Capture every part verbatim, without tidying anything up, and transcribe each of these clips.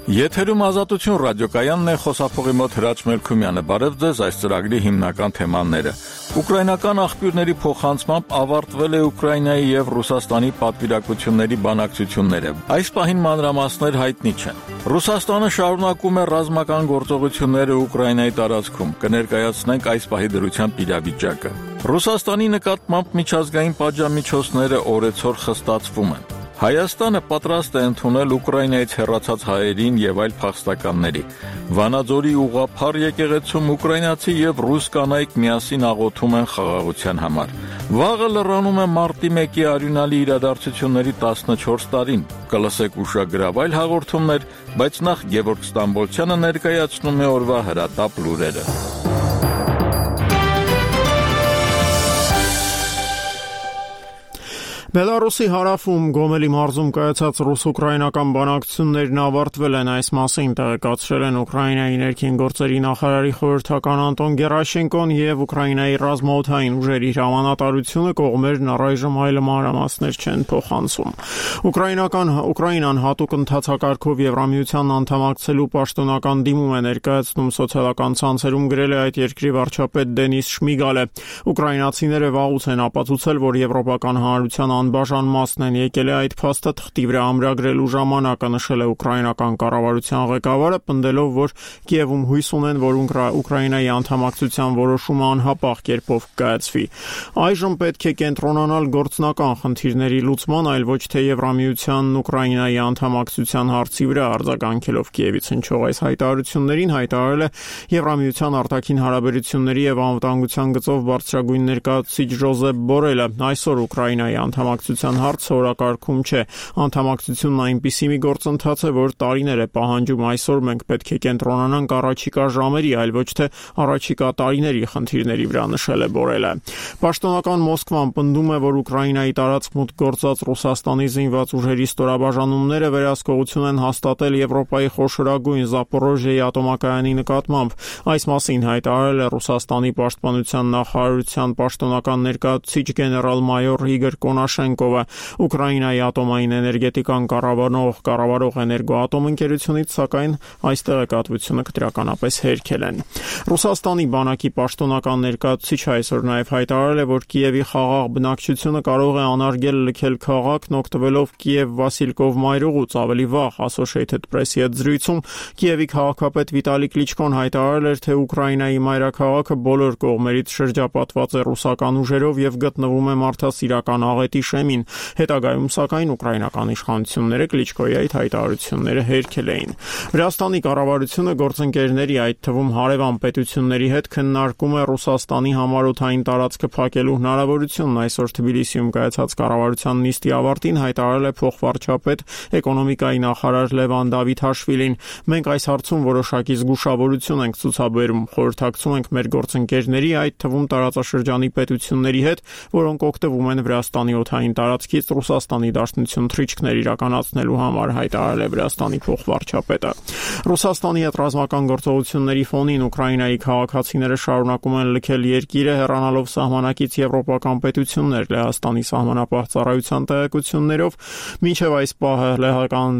Եթերում Ազատություն ռադիոկայանն է, խոսափողի մոտ Հրաչ Մելքումյանը։ Բարև ձեզ, այս ծրագրի հիմնական թեմաները։ Ուկրաինական աղբյուրների փոխանցմամբ ավարտվել է Ուկրաինայի եւ Ռուսաստանի պատվիրակությունների բանակցությունները։ Այս պահին մանրամասներ հայտնի չեն։ Ռուսաստանը շարունակում է ռազմական գործողությունները Ուկրաինայի տարածքում։ Կներկայացնենք այս պահի դրությամբ իրավիճակը։ Ռուսաստանի նկատմամբ միջազգային պատժամիջոցները օրեցօր խստացվում են։ Հայաստանը պատրաստ է ընդունել Ուկրաինայից հեռացած հայերին եւ այլ փախստականների։ Վանաձորի ուղղափառ եկեղեցում ուկրաինացի եւ ռուս կանայք միասին աղոթում են խաղաղության համար։ Վաղը լրանում է մարտի մեկի արյունալի իրադարձությունների տասնչորս տարին։ Կլսեք ուշագրավ այլ հաղորդումներ, բայց նախ Գևորգ Ստամբոլցյանը ներկայացնում է օրվա հրատապ լուրերը։ Բելարուսի հարավում Գոմելի մարզում կայացած ռուս-ուկրաինական բանակցություններն ավարտվել են, այս մասին տեղեկացրել են Ուկրաինայի ներքին գործերի նախարարի խորհրդական Անտոն Գերաշենկոն եւ Ուկրաինայի ռազմաօդային ուժերի հրամանատարությունը կողմերն առայժմ այլ մանրամասներ չեն փոխանցում։ Ուկրաինական Ուկրաինան հատուկ ընթացակարգով Եվրամիությանն անդամակցելու պաշտոնական դիմում է ներկայացնում սոցիալական ցանցերում գրել է այդ երկրի վարչապետ Դենիս Շմիգալը։ Ուկրաինացիները վաղուց են ապացուցել, որ եվրոպական հանրության անբաժան մասն են եկել է այդ փաստը թղթի վրա ամրագրելու ժամանակը, նշել է ուկրաինական կառավարության ղեկավարը, պնդելով, որ Կիևում հույս ունեն, որ Ուկրաինայի անդամակցության որոշումը անհապաղ կերպով կկայացվի։ Այժմ պետք է կենտրոնանալ գործնական խնդիրների լուծման, այլ ոչ թե Եվրամիությանն Ուկրաինայի անդամակցության հարցի վրա, արձագանքելով Կիևից հնչող այս հայտարարություններին հայտարարել է Եվրամիության արտաքին հարաբերությունների եւ անվտանգության գծով բարձրագույն ներկայացուցիչ Ժոզեփ Բորելը։ Այսօր Ուկրաինայի անդամակցության հարցը օրակարգում չէ։ Անդամակցությունն այնպիսի մի գործընթաց է, որ տարիներ է պահանջում։ Այսօր մենք պետք է կենտրոնանանք առաջիկա ժամերի, այլ ոչ թե առաջիկա տարիների խնդիրների վրա, նշել է Բորելը։ Պաշտոնական Մոսկվան պնդում է, որ Ուկրաինայի տարածք մուտք գործած Ռուսաստանի զինված ուժերի ստորաբաժանումները վերահսկողություն են հաստատել Եվրոպայի խոշորագույն Զապորոժիայի ատոմակայանի նկատմամբ։ Այս մասին հայտարարել է Ռուսաստանի պաշտպանության նախարարության պաշտոնական ներկայացուցիչ գեներալ-մայոր Իգոր Կոնաշենկովը։ Ուկրաինայի ատոմային էներգետիկան կառավարող կառավարող էներգոատոմ ընկերությունից, սակայն այս տեղեկատվությունը կտրականապես հերքել են։ Ռուսաստանի բանակի պաշտոնական ներկայացուցիչը այսօր նաև հայտարարել է, որ Կիևի խաղաղ բնակչությունը կարող է անարգել լքել քաղաքն, օգտվելով Կիև-Վասիլկով մայրուղուց։ Ավելի վաղ Associated Press-ի հետ զրույցում Կիևի քաղաքապետ Վիտալի Կլիչկոն հայտարարել էր, թե Ուկրաինայի մայրաքաղաքը բոլոր կողմերից շրջապատված է ռուսական ուժերով եւ գտնվում է մարդասիրական աղետի շեմին։ Հետագայում, սակայն, ուկրաինական իշխանությունները Կլիչկոյի այդ հայտարարությունները հերքել էին։ Վրաստանի կառավարությունը գործընկերների, այդ թվում հարևան պետությունների հետ քննարկում է Ռուսաստանի համառոթային տարածքը փակելու հնարավորությունն։ Այսօր Թբիլիսիում կայացած կառավարության նիստի ավարտին հայտարարել է փոխվարչապետ էկոնոմիկայի նախարար Լևան Դավիթաշվիլին։ Մենք այս հարցում որոշակի զգուշավորություն ենք ցուցաբերում, խորհրդակցում ենք մեր գործընկերների, այդ թվում տարածաշրջանի պետությունների հետ, որոնք օգտվում են Վրաստանի օդային տարածքից Ռուսաստանի դաշնություն թռիչքներ իրականացնելու համար, հայտարարել է Վրաստանի փոխվարչապետը։ Ռուսաստանի հետ ռազմական գործողությունների ֆոնին Ուկրաինայի քաղաքացիները շարունակում են լքել երկիրը, հեռանալով սահմանակից եվրոպական պետություններ։ Լեհաստանի սահմանապահ ծառայության տեղեկություններով մինչև այս պահը լեհական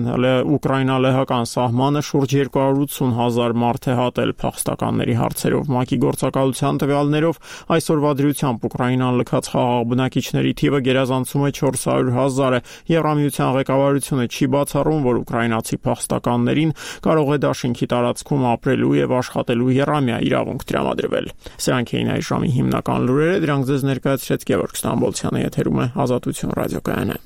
Ուկրաինա-լեհական սահմանը շուրջ երկու հարյուր ութսուն հազար մարդ է հատել փախստականների հարցերով։ ՄԱԿ-ի գործակալության տվյալներով այսօրվա դրությամբ Ուկրաինան լքած խաղաղ բնակիչների թիվը գերազանցում է չորս հարյուր հազարը։ Եվրամիության ղեկավարությունը չի բացառում, որ ուկրաինացի փախստականներին կարող է դաշինքի տարածքում ապրելու եւ աշխատելու եռամյա իրավունք տրամադրվել։ Սրանք էին այս ժամի հիմնական լուրերը, դրանք ձեզ ներկայացրեց Գևորգ Ստամբոլցյանը, եթերում է Ազատություն ռադիոկայանը։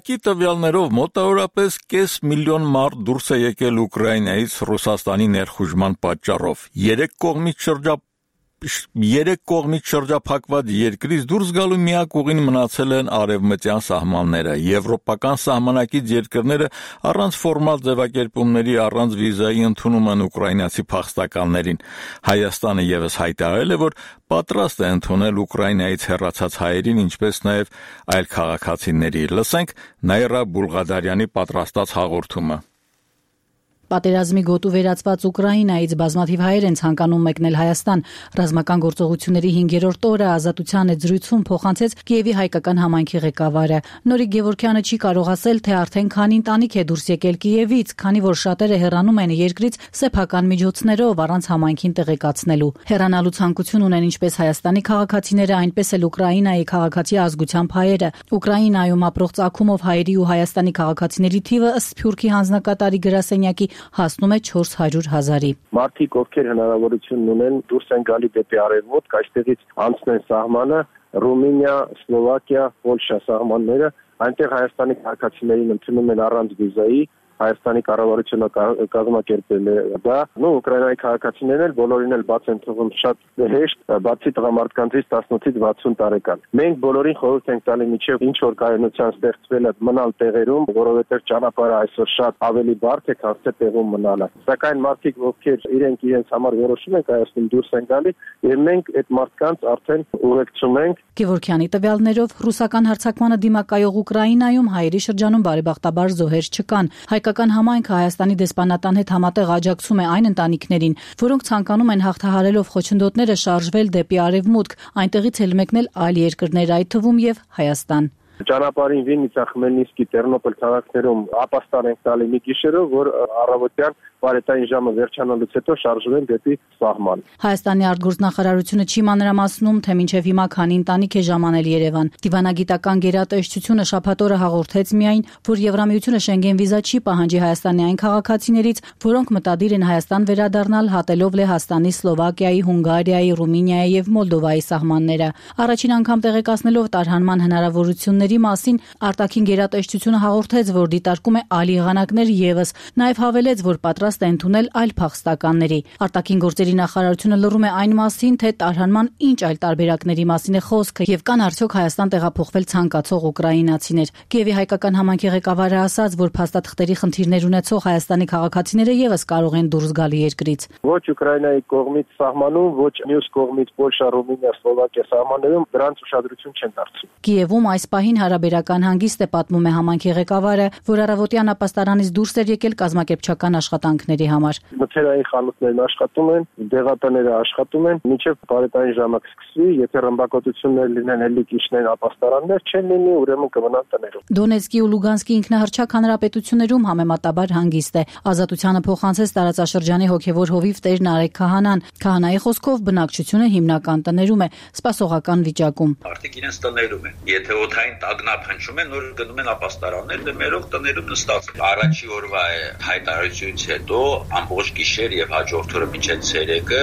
ՄԱԿ-ի տվյալներով մոտավորապես կես միլիոն մարդ դուրս է եկել Ուկրաինայից Ռուսաստանի ներխուժման պատճառով։ Երեք կողմից շրջապ երեք կողմից շրջափակված երկրից դուրս գալու միակ ուղին մնացել են արևմտյան սահմանները։ Եվրոպական սահմանակից երկրները առանց ֆորմալ ձևակերպումների, առանց վիզայի ընդունում են ուկրաինացի փախստականներին։ Հայաստանը ևս հայտարարել է, որ պատրաստ է ընդունել Ուկրաինայից հեռացած հայերին, ինչպես նաև այլ քաղաքացիների։ Լսենք Նաիրա Բուլղադարյանի պատրաստած հաղորդումը։ Պատերազմի գոտու վերածված Ուկրաինայից բազմաթիվ հայեր են ցանկանում մեկնել Հայաստան։ Ռազմական գործողությունների հինգերորդ օրը Ազատության այդ զրույցում փոխանցեց Կիևի հայկական համայնքի ղեկավարը։ Նորիկ Գևորգյանը չի կարող ասել, թե արդեն քանի ընտանիք է դուրս եկել Կիևից, քանի որ շատերը հեռանում են երկրից սեփական միջոցներով առանց համայնքին տեղեկացնելու։ Հեռանալու ցանկություն ունեն ինչպես Հայաստանի քաղաքացիները, այնպես էլ Ուկրաինայի քաղաքացի ազգությամբ հայերը։ Ուկրաինայում ապրող ծագումով հայերի ու Հայաստանի քաղաքացիների թիվը ըստ Սփյուռքի հանձնակատարի գրասենյակի հասնում է չորս հարյուր հազարի։ Մարդիկ, ովքեր հնարավորություն ունեն դուրս են գալի դեպի արևմուտք, այստեղից անցնեն սահմանը, Ռումինիա, Սլովակիա, Պոլշա սահմանները, այնտեղ Հայաստանի քաղաքացիներին ընդունում են առանց վիզայի, Հայաստանի կառավարությունը կազմակերպել է դա, նո Ուկրաինայի քաղաքացիներն էլ բոլորին էլ բաց են թվում շատ հեշտ, բացի տղամարդկանցից տասնութից վաթսուն տարեկան։ Մենք բոլորին խորհուրդ ենք տալի միջև ինչ որ կայունության ստեղծվել է մնալ տեղերում, որովհետև ճանապարհը այսօր շատ ավելի բարդ է, քան թե տեղում մնալը։ Սակայն մարդիկ, ովքեր իրենք իրենց համար որոշում են կայացնում դուրս են գալի, եւ մենք այդ մարդկանց արդեն ուղեկցում ենք։ Գևորգյանի տվյալներով ռուսական հարձակմանը դիմակայող Ուկրաինայում հայերի շրջանում բարեբախտաբար զոհեր չկան։ Հայկական համայնքը Հայաստանի դեսպանատան հետ համատեղ աջակցում է այն ընտանիքներին, որոնք ցանկանում են հաղթահարելով խոչընդոտները շարժվել դեպի արևմուտք, այնտեղից էլ մեկնել այլ երկրներ, այդ թվում եւ Հայաստան։ Ճանապարհին Վիննիցա, Խմելնիսկի, Տերնոպոլ քաղաքներում ապաստան ենք տալի մի գիշերով, որ առավոտյան բարետային ժամը վերջանալուց հետո շարժվեն դեպի սահման։ Հայաստանի արտգործնախարարությունը չի մանրամասնում, թե մինչև հիմա քանի ընտանիք է ժամանել Երևան։ Դիվանագիտական գերատեսչությունը շաբաթ օրը հաղորդեց միայն, որ Եվրամիությունը Շենգեն վիզա չի պահանջի Հայաստանի այն քաղաքացիներից, որոնք մտադիր են Հայաստան վերադառնալ հատելով Լեհաստանի, Սլովակիայի, Հունգարիայի, Ռումինիայի եւ Մոլդովայի սահմանները։ Առաջին անգամ տեղեկացնելով տարհանման հնարավորությունների մասին, արտաքին գերատեսչությունը հաղորդեց, որ դիտարկում է այլ եղանակներ եւս, նաեւ հավելեց, որ պատրաստ է ընդունել այլ փախստականների։ Արտաքին գործերի նախարարությունը լռում է այն մասին, թե տարհանման ինչ այլ տարբերակների մասին է խոսքը եւ կան արդյոք Հայաստան տեղափոխվել ցանկացող ուկրաինացիներ։ Կիևի հայկական համայնքի ղեկավարը ասաց, որ փաստաթղթերի խնդիրներ ունեցող Հայաստանի քաղաքացիները եւս կարող են դուրս գալ երկրից։ Ոչ Ուկրաինայի կողմից սահմանում, ոչ մյուս կողմից Պոլշա, Ռումինիա, Սլովակիա սահմաններում դրանց ուշադրություն չեն դարձնում։ Կիևում այս պահին հարաբերական հանգիստ է, պատմում է համայնքի ղեկավարը, որ առավոտյան ապաստարանից դուրս էր եկել կազմակերպչական աշխատանքների համար։ Մթերային խանութներն աշխատում են, դեղատները աշխատում են, մինչև բարետային ժամը կսկսվի, եթե ռմբակոծություններ լինեն, ելի կիչնեն ապաստարաններ չեն լինի, ուրեմն կմնան տներում։ Դոնեցկի ու Լուգանսկի ինքնահռչակ հանրապետություններում համեմատաբար հանգիստ է։ Ազատությանը փոխանցեց տարածաշրջանի հոգևոր հովիվ Տեր Նարեկ Քահանան։ Քահանայի խոսքով բնակչությունը հիմնական տներում է, սպասողական վիճակում։ Արդեն իրենց տներում են։ Եթե օդային տագնապ հնչում են, նոր գնում են ապաստարաններ, դե մերով տներում նստած։ Առաջի օրվա հայտարարությունից հետո ամբողջ գիշեր եւ հաջորդ օրը մինչեւ ցերեկը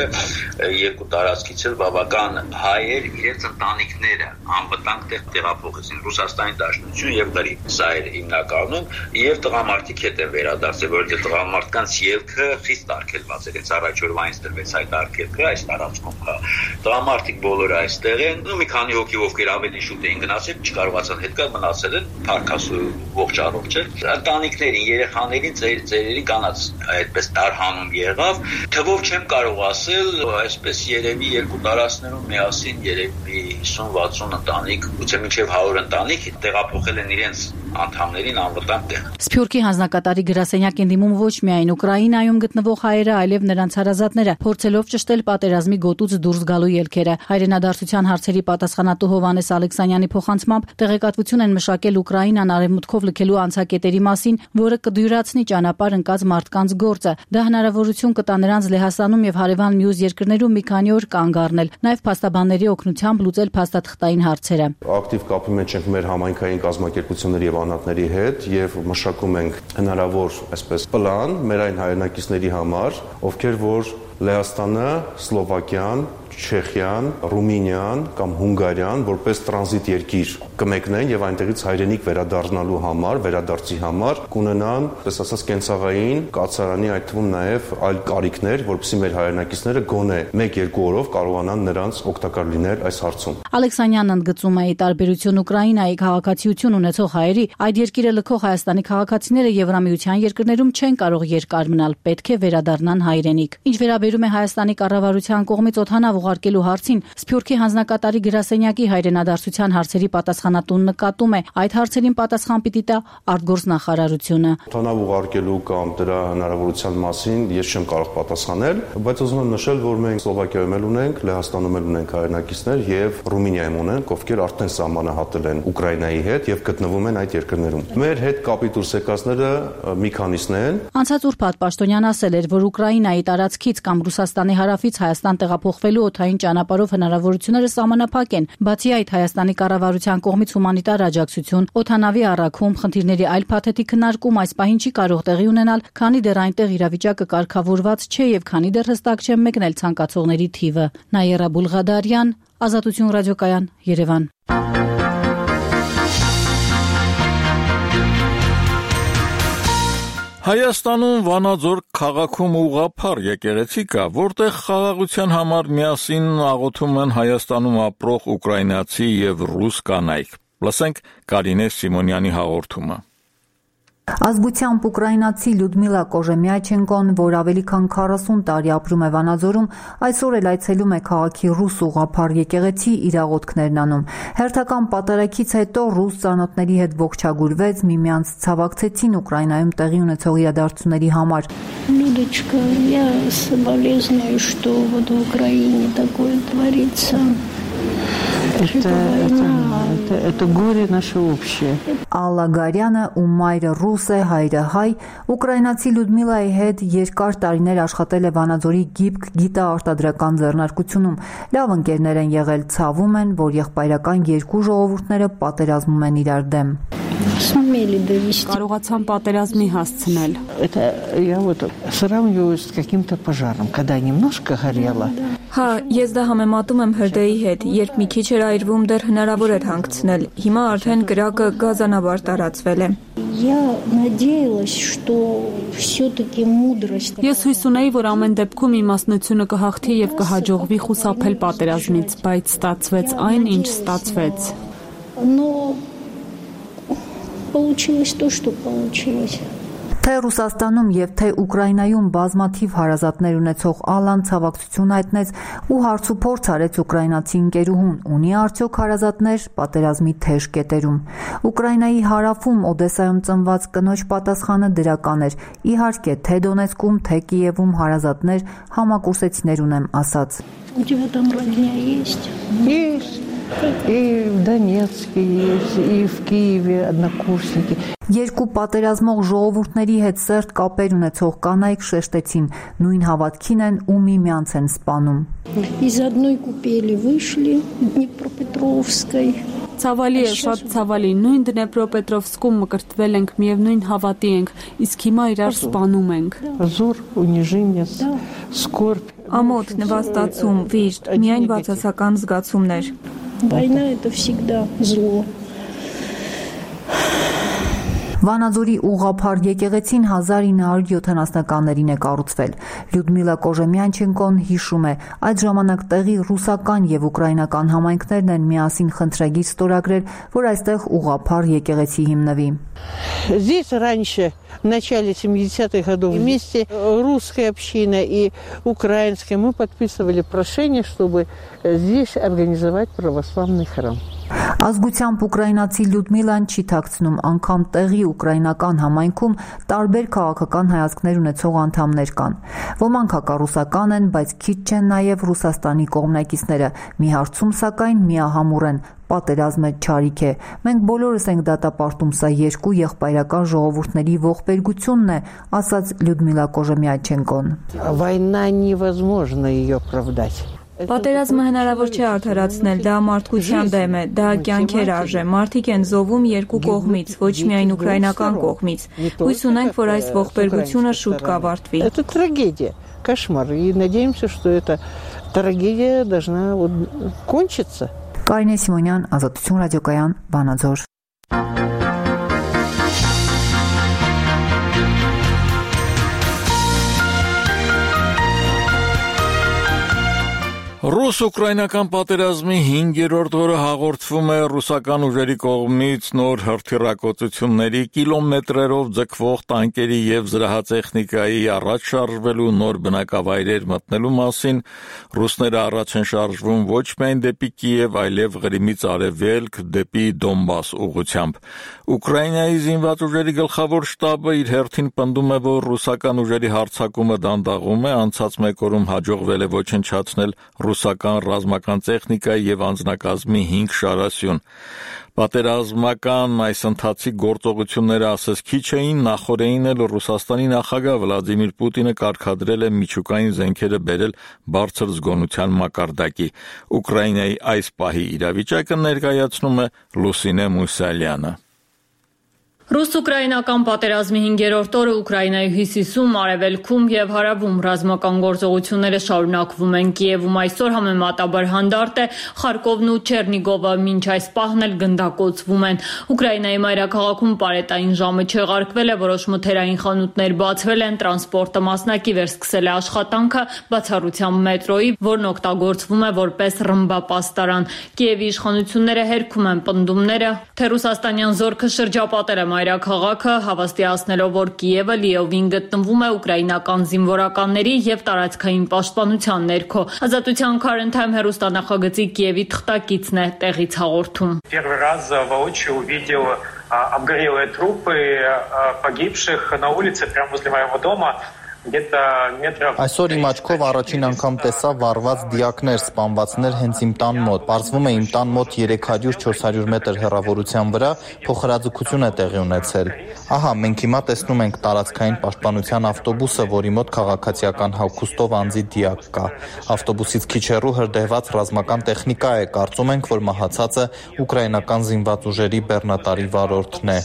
երկու տարածքից էլ բավական հայեր իրենց ընտանիքները անվտանգ տեղ տեղափոխեցին Ռուսաստանի Դաշնություն եւ Գրիգ։ Սա էր հիմնականում եւ տղամարդիկ հետ են վերադարձել, որովհետեւ տղամարդկանց ելքը խիստ արգելված էր։ Այս առաջ օրվա այնց դրվեց այդ արգելքը այս տարածքում կա։ Տղամարդիկ բոլորը այստեղ են, ու մի քանի հոգի ովքեր ավելի շուտ էին գնացել, չկարողացան հետ գալ, մնացել են փառքասու ողջ առողջ են։ Ընտանիքներին, երեխաներին, ծերերի կանած այդպես տարհանում եղավ։ Թվով չեմ կարող ասել, այսպես երևի երկու տարածքներում միասին երևի հիսուն վաթսուն ընտանիք, գուցե մինչև հարյուր ընտանիք տեղափոխել են իրենց անդամներին անվտանգ տեղ։ Սփյուռքի հանձնակատարի գրասենյակ են դիմում ոչ միայն Ուկրաինայում գտնվող հայերը, այլև նրանց հարազատները, փորձելով ճշտել պատերազմի գոտուց դուրս գալու ելքերը։ Հայրենադարձության հարցերի պատասխանատու Հովհաննես Ալեքսանյանի փոխանցմամբ տեղեկատվություն են մշակել Ուկրաինան արևմուտքով լքելու անցակետերի մասին, որը կդյուրացնի ճանապարհ ընկած մարդկանց գործը։ Դա հնարավորություն կտա նրանց Լեհաստանում եւ հարևան մյուս երկրներում մի քանի օր կանգ առնել, նաեւ փաստաբանների օգնությամբ լուծել փաստաթղթային հարցերը։ Ակտիվ կապի մեջ ենք մեր համայնքային կազմակերպությունների եւ անհատների հետ եւ մշակում ենք հնարավոր այսպես պլան մեր այն հայրենակիցների համար, ովքեր որ Լեհաստանը, Սլովակիան, Չեխիան, Ռումինիան կամ Հունգարիան որպես տրանզիտ երկիր կմեկնեն եւ այնտեղից հայրենիք վերադառնալու համար, վերադարձի համար կունենան, պես ասած, կենցաղային, կացարանի, այդ թվում նաեւ այլ կարիքներ, որովհետեւ մեր հայրենակիցները գոնե մեկ-երկու օրով կարողանան նրանց օգտակար լինել այս հարցում։ Ալեքսանյանն ընդգծում է, ի տարբերություն Ուկրաինայի քաղաքացիություն ունեցող հայերի, այդ երկիրը լքող Հայաստանի քաղաքացիները Եվրամիության երկրներում չեն կարող երկար մնալ, պետք է վերադառնան հայրենիք։ Ինչ վերաբերում է Հայաստանի կառավարության կողմից օդանավ ուղարկելու հարցին, Սփյուռքի հանձնակատարի գրասենյակի հայրենադարձության հարցերի պատասխանատուն նկատում է, այդ հարցերին պատասխան պիտի տա արտգործնախարարությունը։ Օդանավ ուղարկելու կամ դրա հնարավորության մասին ես չեմ կարող պատասխանել, բայց ուզում եմ նշել, որ մենք Սլովակիայում էլ ունենք, Լեհաստանում էլ ունենք հայրենակիցներ եւ Ռումինիայում ունենք, ովքեր արդեն սահմանահատել են Ուկրաինայի հետ եւ գտնվում են այդ երկրներում։ Մեր հետ կապի դուրս եկածները մի քանիսն են։ Անցած ուրբաթ Պաշտոնյան ասել էր, որ Ուկրաինայի տարածքից կամ Ռուսաստանի հարավից Հայաստան տեղափոխվելու օդային ճանապարհով հնարավորությունները սահմանափակ են։ Բացի այդ, Հայաստանի կառավարության կողմից հումանիտար աջակցություն, օդանավի առաքում, խնդիրների այլ փաթեթի քննարկում այս պահին չի կարող տեղի ունենալ, քանի դեռ այնտեղ իրավիճակը կարգավորված չէ եւ քանի դեռ հստակ չէ մեկնել ցանկացողների թիվը։ Նաիրա Բուլղադարյան, Ազատություն ռադիոկայան, Երևան։ Հայաստանում Վանաձոր քաղաքում ուղղափառ եկեղեցի կա, որտեղ խաղաղության համար միասին աղոթում են Հայաստանում ապրող ուկրաինացի եւ ռուս կանայք։ Լսենք Կարինե Սիմոնյանի հաղորդումը։ Ազգությամբ ուկրաինացի Լյուդմիլա Կոժեմյաչենկոն, որ ավելի քան քառասուն տարի ապրում է Վանաձորում, այսօր էլ այցելում է քաղաքի ռուս ուղղափառ եկեղեցի իր աղոթքներն անում։ Հերթական պատարագից հետո ռուս ծանոթների հետ ողջագուրվեց, միմյանց ցավակցեցին Ուկրաինայում տեղի ունեցող իրադարձությունների համար։ Людочка, я соболезную, что вот в Украине такое творится. Это, это, это, это горе наше общее. Ալլա Գարյանը, ում մայրը ռուս է, հայրը հայ, ուկրաինացի Լյուդմիլայի հետ երկար տարիներ աշխատել է Վանաձորի գիպք գիտաարտադրական ձեռնարկությունում։ Լավ ընկերներ են եղել, ցավում են, որ եղբայրական երկու ժողովուրդները պատերազմում են իրար դեմ։ Կարողացան պատերազմի հասցնել։ Это я вот сравниваю с каким-то пожаром, когда немножко горело. Հա, ես դա համեմատում եմ հրդեհի հետ, երբ մի քիչ էր այրվում, դեռ հնարավոր էր հանգցնել։ Հիմա արդեն կրակը գազանաբար տարածվել է։ Я надеялась, что всё-таки мудрость. Ես հույս ունեի, որ ամեն դեպքում իմաստնությունը կհաղթի եւ կհաջողվի խուսափել պատերազմից, բայց ստացվեց այն, ինչ ստացվեց։ Но получилось то, что получилось. Թե Ռուսաստանում եւ թե Ուկրաինայում բազմաթիվ հարազատներ ունեցող Ալան ցավակցություն հայտնեց ու հարցուփորձ արեց ուկրաինացի ընկերուհուն, ունի արդյոք հարազատներ պատերազմի թեժ կետերում։ Ուկրաինայի հարավում Օդեսայում ծնված կնոջ պատասխանը դրական էր։ Իհարկե, թե Դոնեցկում, թե Կիևում հարազատներ, համակուրսեցիներ ունեմ ասաց։ У тебя там родня есть? Есть. И в Донецке есть, и в Киеве однокурсники. Երկու պատերազմող ժողովուրդների հետ սերտ կապեր ունեցող կանայք շեշտեցին, նույն հավատքին են ու միմյանց են սպանում։ Из одной купели вышли Днепропетровской. Ցավալի է, շատ ցավալի, նույն Դնեպրոպետրովսկում մկրտվել ենք, միևնույն հավատի ենք, իսկ հիմա իրար սպանում ենք։ Позор, унижение, скорбь. Ամոթ, նվաստացում, վիշտ, միայն բացասական զգացումներ։ Война это всегда зло. Վանաձորի ուղղափառ եկեղեցին հազար ինը հարյուր յոթանասնականներին է կառուցվել։ Լյուդմիլա Կոժեմյանչենկոն հիշում է, այդ ժամանակ տեղի ռուսական եւ ուկրաինական համայնքներն են միասին խնդրագիր ստորագրել, որ այստեղ ուղղափառ եկեղեցի հիմնվի։ Здесь раньше, в начале семидесятых годов, вместе русская община и украинская, мы подписывали прошение, чтобы здесь организовать православный храм. Ազգությամբ ուկրաինացի Լյուդմիլան չի թաքցնում, անգամ տեղի ուկրաինական համայնքում տարբեր քաղաքական հայացքներ ունեցող անդամներ կան։ Ոմանք հակառուսական են, բայց քիչ չեն նաև Ռուսաստանի կողմնակիցները։ Մի հարցում սակայն միահամուռ են՝ պատերազմը չարիք է։ Մենք բոլորս ենք դատապարտում, սա երկու եղբայրական ժողովուրդների ողբերգությունն է, ասաց Լյուդմիլա Կոժեմյանչենկոն։ Война невозможно ее оправдать. Պատերազմը հնարավոր չէ արդարացնել, դա մարդկության դեմ է, դա կյանքեր արժե, մարդիկ են զոհվում երկու կողմից, ոչ միայն ուկրաինական կողմից։ Հույս ունենք, որ այս ողբերգությունը շուտ կավարտվի։ Это трагедия, кошмар, и надеемся, что это трагедия должна вот кончиться. Կարինե Սիմոնյան, Ազատություն ռադիոկայան, Վանաձոր։ Ռուս-ուկրաինական պատերազմի հինգերորդ օրը հաղորդվում է ռուսական ուժերի կողմից նոր հրթիռակոծությունների, կիլոմետրերով ձգվող տանկերի և զրահատեխնիկայի առաջ շարժվելու, նոր բնակավայրեր մտնելու մասին։ Ռուսները առաջ են շարժվում ոչ միայն դեպի Կիև, այլև Ղրիմից արևելք, դեպի Դոնբաս ուղղությամբ։ Ուկրաինայի զինված ուժերի գլխավոր շտաբը իր հերթին պնդում է, որ ռուսական ուժերի հարձակումը դանդաղում է, անցած մեկ օրում հաջողվել է ոչնչացնել ռուսական ռազմական տեխնիկայի և անձնակազմի հինգ շարասյուն։ Պատերազմական այս ընթացիկ գործողությունները ասես քիչ էին, նախօրեին էլ Ռուսաստանի նախագահ Վլադիմիր Պուտինը կարգադրել է միջուկային զենքերը բերել բարձր զգոնության մակարդակի։ Ուկրաինայի այս պահի իրավիճակը ներկայացնում է Լուսինե Մուսալյանը։ Ռուս-ուկրաինական պատերազմի հինգերորդ օրը Ուկրաինայի հյուսիսում, արևելքում և հարավում ռազմական գործողությունները շարունակվում են։ Կիևում այսօր համեմատաբար հանդարտ է, Խարկովն ու Չերնիգովը մինչ այս պահն էլ գնդակոծվում են։ Ուկրաինայի մայրաքաղաքում պարետային ժամը չեղարկվել է, որոշ մթերային խանութներ բացվել են, տրանսպորտը մասնակի վերսկսել է աշխատանքը, բացառությամբ մետրոյի, որն օգտագործվում է որպես ռմբապաստարան։ Կիևի իշխանությունները հերքում են պնդումները, թե ռուսաստանյան զորքը շրջապատել է մայրաքաղաքը, հավաստիացնելով, որ Կիևը լիովին գտնվում է ուկրաինական զինվորականների և տարածքային պաշտպանության ներքո։ Ազատության Քարենթայմ հեռուստանախագծի Կիևի թղթակիցն է տեղից հաղորդում։ Первый раз воочию увидел обгорелые трупы погибших на улице прямо возле моего дома. Այսօր իմ աչքով առաջին անգամ տեսա վառված դիակներ, սպանվածներ հենց իմ տան մոտ։ Պարզվում է իմ տան մոտ երեք հարյուր չորս հարյուր մետր հեռավորության վրա փոխհրաձգություն է տեղի ունեցել։ Ահա, մենք հիմա տեսնում ենք տարածքային պաշտպանության ավտոբուսը, որի մոտ քաղաքացիական հագուստով անձի դիակ կա։ Ավտոբուսից քիչ հեռու հրդեհված ռազմական տեխնիկա է, կարծում ենք, որ մահացածը ուկրաինական զինված ուժերի բեռնատարի վարորդն է։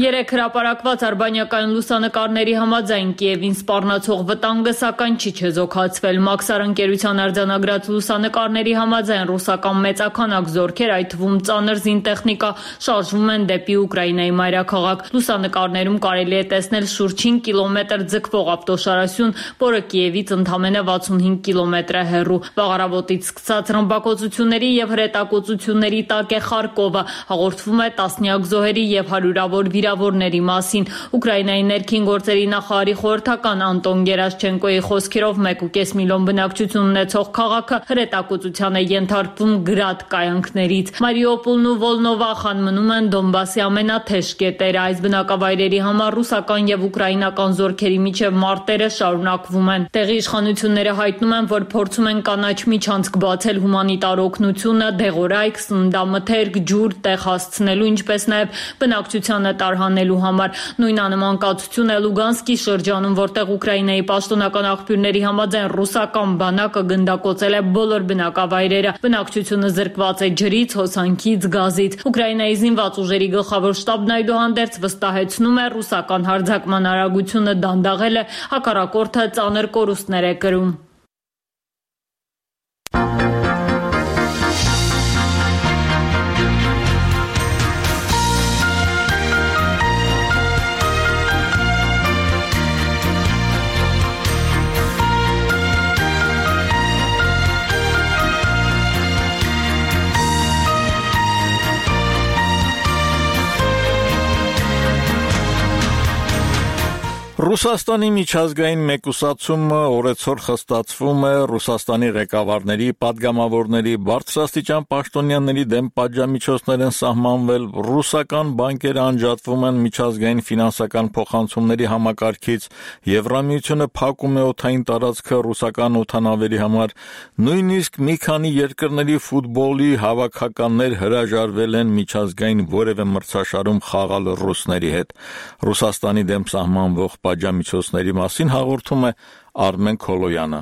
Երեք հրապարակված արբանյակային լուսանկարների համաձայն Կիևին սպառնացող վտանգը սակայն չի չեզոքացվել։ Մաքսար ընկերության արձանագրած լուսանկարների համաձայն ռուսական մեծաքանակ զորքեր, այդ թվում ծանր զինտեխնիկա, շարժվում են դեպի Ուկրաինայի մայրաքաղաք։ Լուսանկարներում կարելի է տեսնել շուրջ հինգ կիլոմետր ձգվող ավտոշարասյուն, որը Կիևից ընդամենը վաթսունհինգ կիլոմետր է հեռու։ Վաղարավոտից սկսած ռմբակոծությունների և հրետակոծությունների տակ է Խարկովը։ Հաղորդվում է տասնյակ զոհերի և հարյուրավոր վիրավորների մասին։ Ուկրաինայի ներքին գործերի նախարարի խորհրդական Անտոն Գերաշչենկոյի խոսքերով մեկ ու կես միլիոն բնակչություն ունեցող քաղաքը հրետակոծության է ենթարկվում գրադ կայանքներից։ Մարիուպոլն ու Վոլնովախան մնում են Դոնբասի ամենաթեժ կետերը։ Այս բնակավայրերի համար ռուսական և ուկրաինական զորքերի միջև մարտերը շարունակվում են։ Տեղի իշխանությունները հայտնում են, որ փորձում են կանաչ միջանցք բացել հումանիտար օգնությունը, դեղորայք, սննդամթերք, ջուր տեղ հասցնելու, ինչպես նաև բնակչությանը տարհանելու համար։ Նույն անմանկացություն է Լուգանսկի շրջանում, որտեղ Ուկրաինայի պաշտոնական աղբյուրների համաձայն ռուսական բանակը գնդակոծել է բոլոր բնակավայրերը։ Բնակչությունը զրկված է ջրից, հոսանքից, գազից։ Ուկրաինայի զինված ուժերի գլխավոր շտաբն այդուհանդերձ վստահեցնում է, ռուսական հարձակման արագությունը դանդաղել է, հակառակորդը ծանր կորուստներ է կրում։ Ռուսաստանի միջազգային մեկուսացումը օրեցօր խստացվում է Ռուսաստանի ղեկավարների, պատգամավորների, բարձրաստիճան պաշտոնյաների դեմ պատժամիջոցներ են սահմանվել, ռուսական բանկերը անջատվում են միջազգային ֆինանսական փոխանցումների համակարգից, Եվրամիությունը փակում է օդային տարածքը ռուսական օդանավերի համար, նույնիսկ մի քանի երկրների ֆուտբոլի հավաքականներ հրաժարվել են միջազգային որևէ մրցաշարում խաղալ ռուսների հետ։ Ռուսաստանի դեմ սահմանվող պատժամիջոցների մասին հաղորդում է Արմեն Քոլոյանը։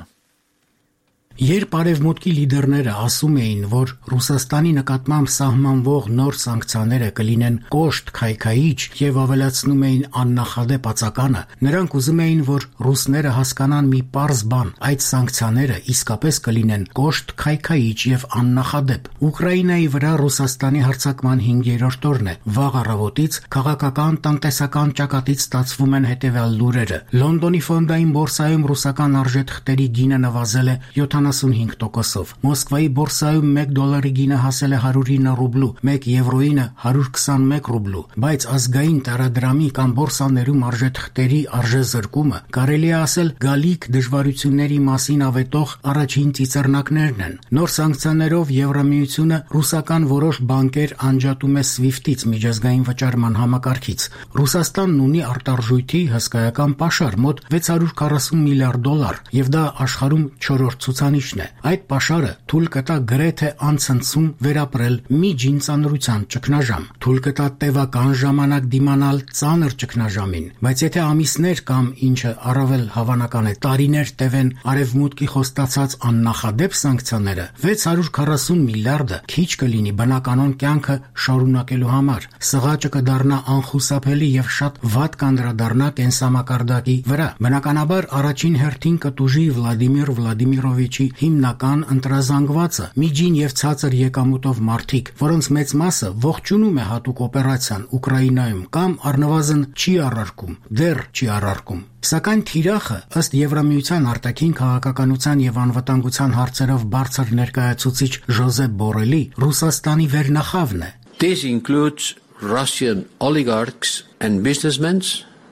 Երբ արևմուտքի լիդերները ասում էին, որ Ռուսաստանի նկատմամբ սահմանվող նոր սանկցիաները կլինեն կոշտ քայքայիչ եւ ավելացնում էին աննախադեպ ածականը, նրանք ուզում էին, որ ռուսները հասկանան մի պարզ բան. այդ սանկցիաները իսկապես կլինեն կոշտ քայքայիչ եւ աննախադեպ։ Ուկրաինայի վրա Ռուսաստանի հարձակման հինգերորդ օրն է։ Վաղ առավոտից քաղաքական տնտեսական ճակատից ստացվում են հետեւյալ լուրերը։ Լոնդոնի ֆոնդային բորսայում ռուսական արժեթղթերի գինը նվազել է յոթանասունհինգ տոկոսով։ Մոսկվայի բորսայում մեկ դոլարի գինը հասել է հարյուր ինը ռուբլու, մեկ եվրոյինը հարյուր քսանմեկ ռուբլու, բայց ազգային տարադրամի կամ բորսաներում արժեթղթերի արժեզրկումը կարելի է ասել գալիք դժվարությունների մասին ավետող առաջին ծիծեռնակներն են։ Նոր սանկցիաներով Եվրամիությունը ռուսական որոշ բանկեր անջատում է սվիֆթից միջազգային վճարման համակարգից։ Ռուսաստանն ունի արտարժույթի հսկայական պաշար մոտ վեց հարյուր քառասուն միլիարդ դոլար, եւ դա աշխարհում չորրորդ ցուցանիշն է։ Այդ պաշարը թույլ կտա գրեթե անցնցում վերապրել միջին ծանրության ճգնաժամ, թույլ կտա տևական ժամանակ դիմանալ ծանր ճգնաժամին, բայց եթե ամիսներ կամ ինչը առավել հավանական է տարիներ տևեն արևմուտքի խոստացած աննախադեպ սանկցիաները, վեց հարյուր քառասուն միլիարդը քիչ կլինի բնականon կյանքը շարունակելու համար։ Սղաճը կդառնա անխուսափելի եւ շատ վատ կանդրադառնա կենսամակարդակի վրա։ Բնականաբար առաջին հերթին կտուժի Վլադիմիր Վլադիմիրովիչի հիմնական ընտրազանգվածը՝ միջին եւ ցածր եկամուտով մարդիկ, որոնց մեծ մասը ողջունում է հատուկ օպերացիան Ուկրաինայում կամ առնվազն չի առարկում, դեռ չի առարկում։ Սակայն թիրախը, ըստ Եվրամիության արտաքին քաղաքականության եւ անվտանգության հարցերով բարձր ներկայացուցիչ Ժոզեփ Բորելի, Ռուսաստանի վերնախավն է։ This includes Russian oligarchs and businessmen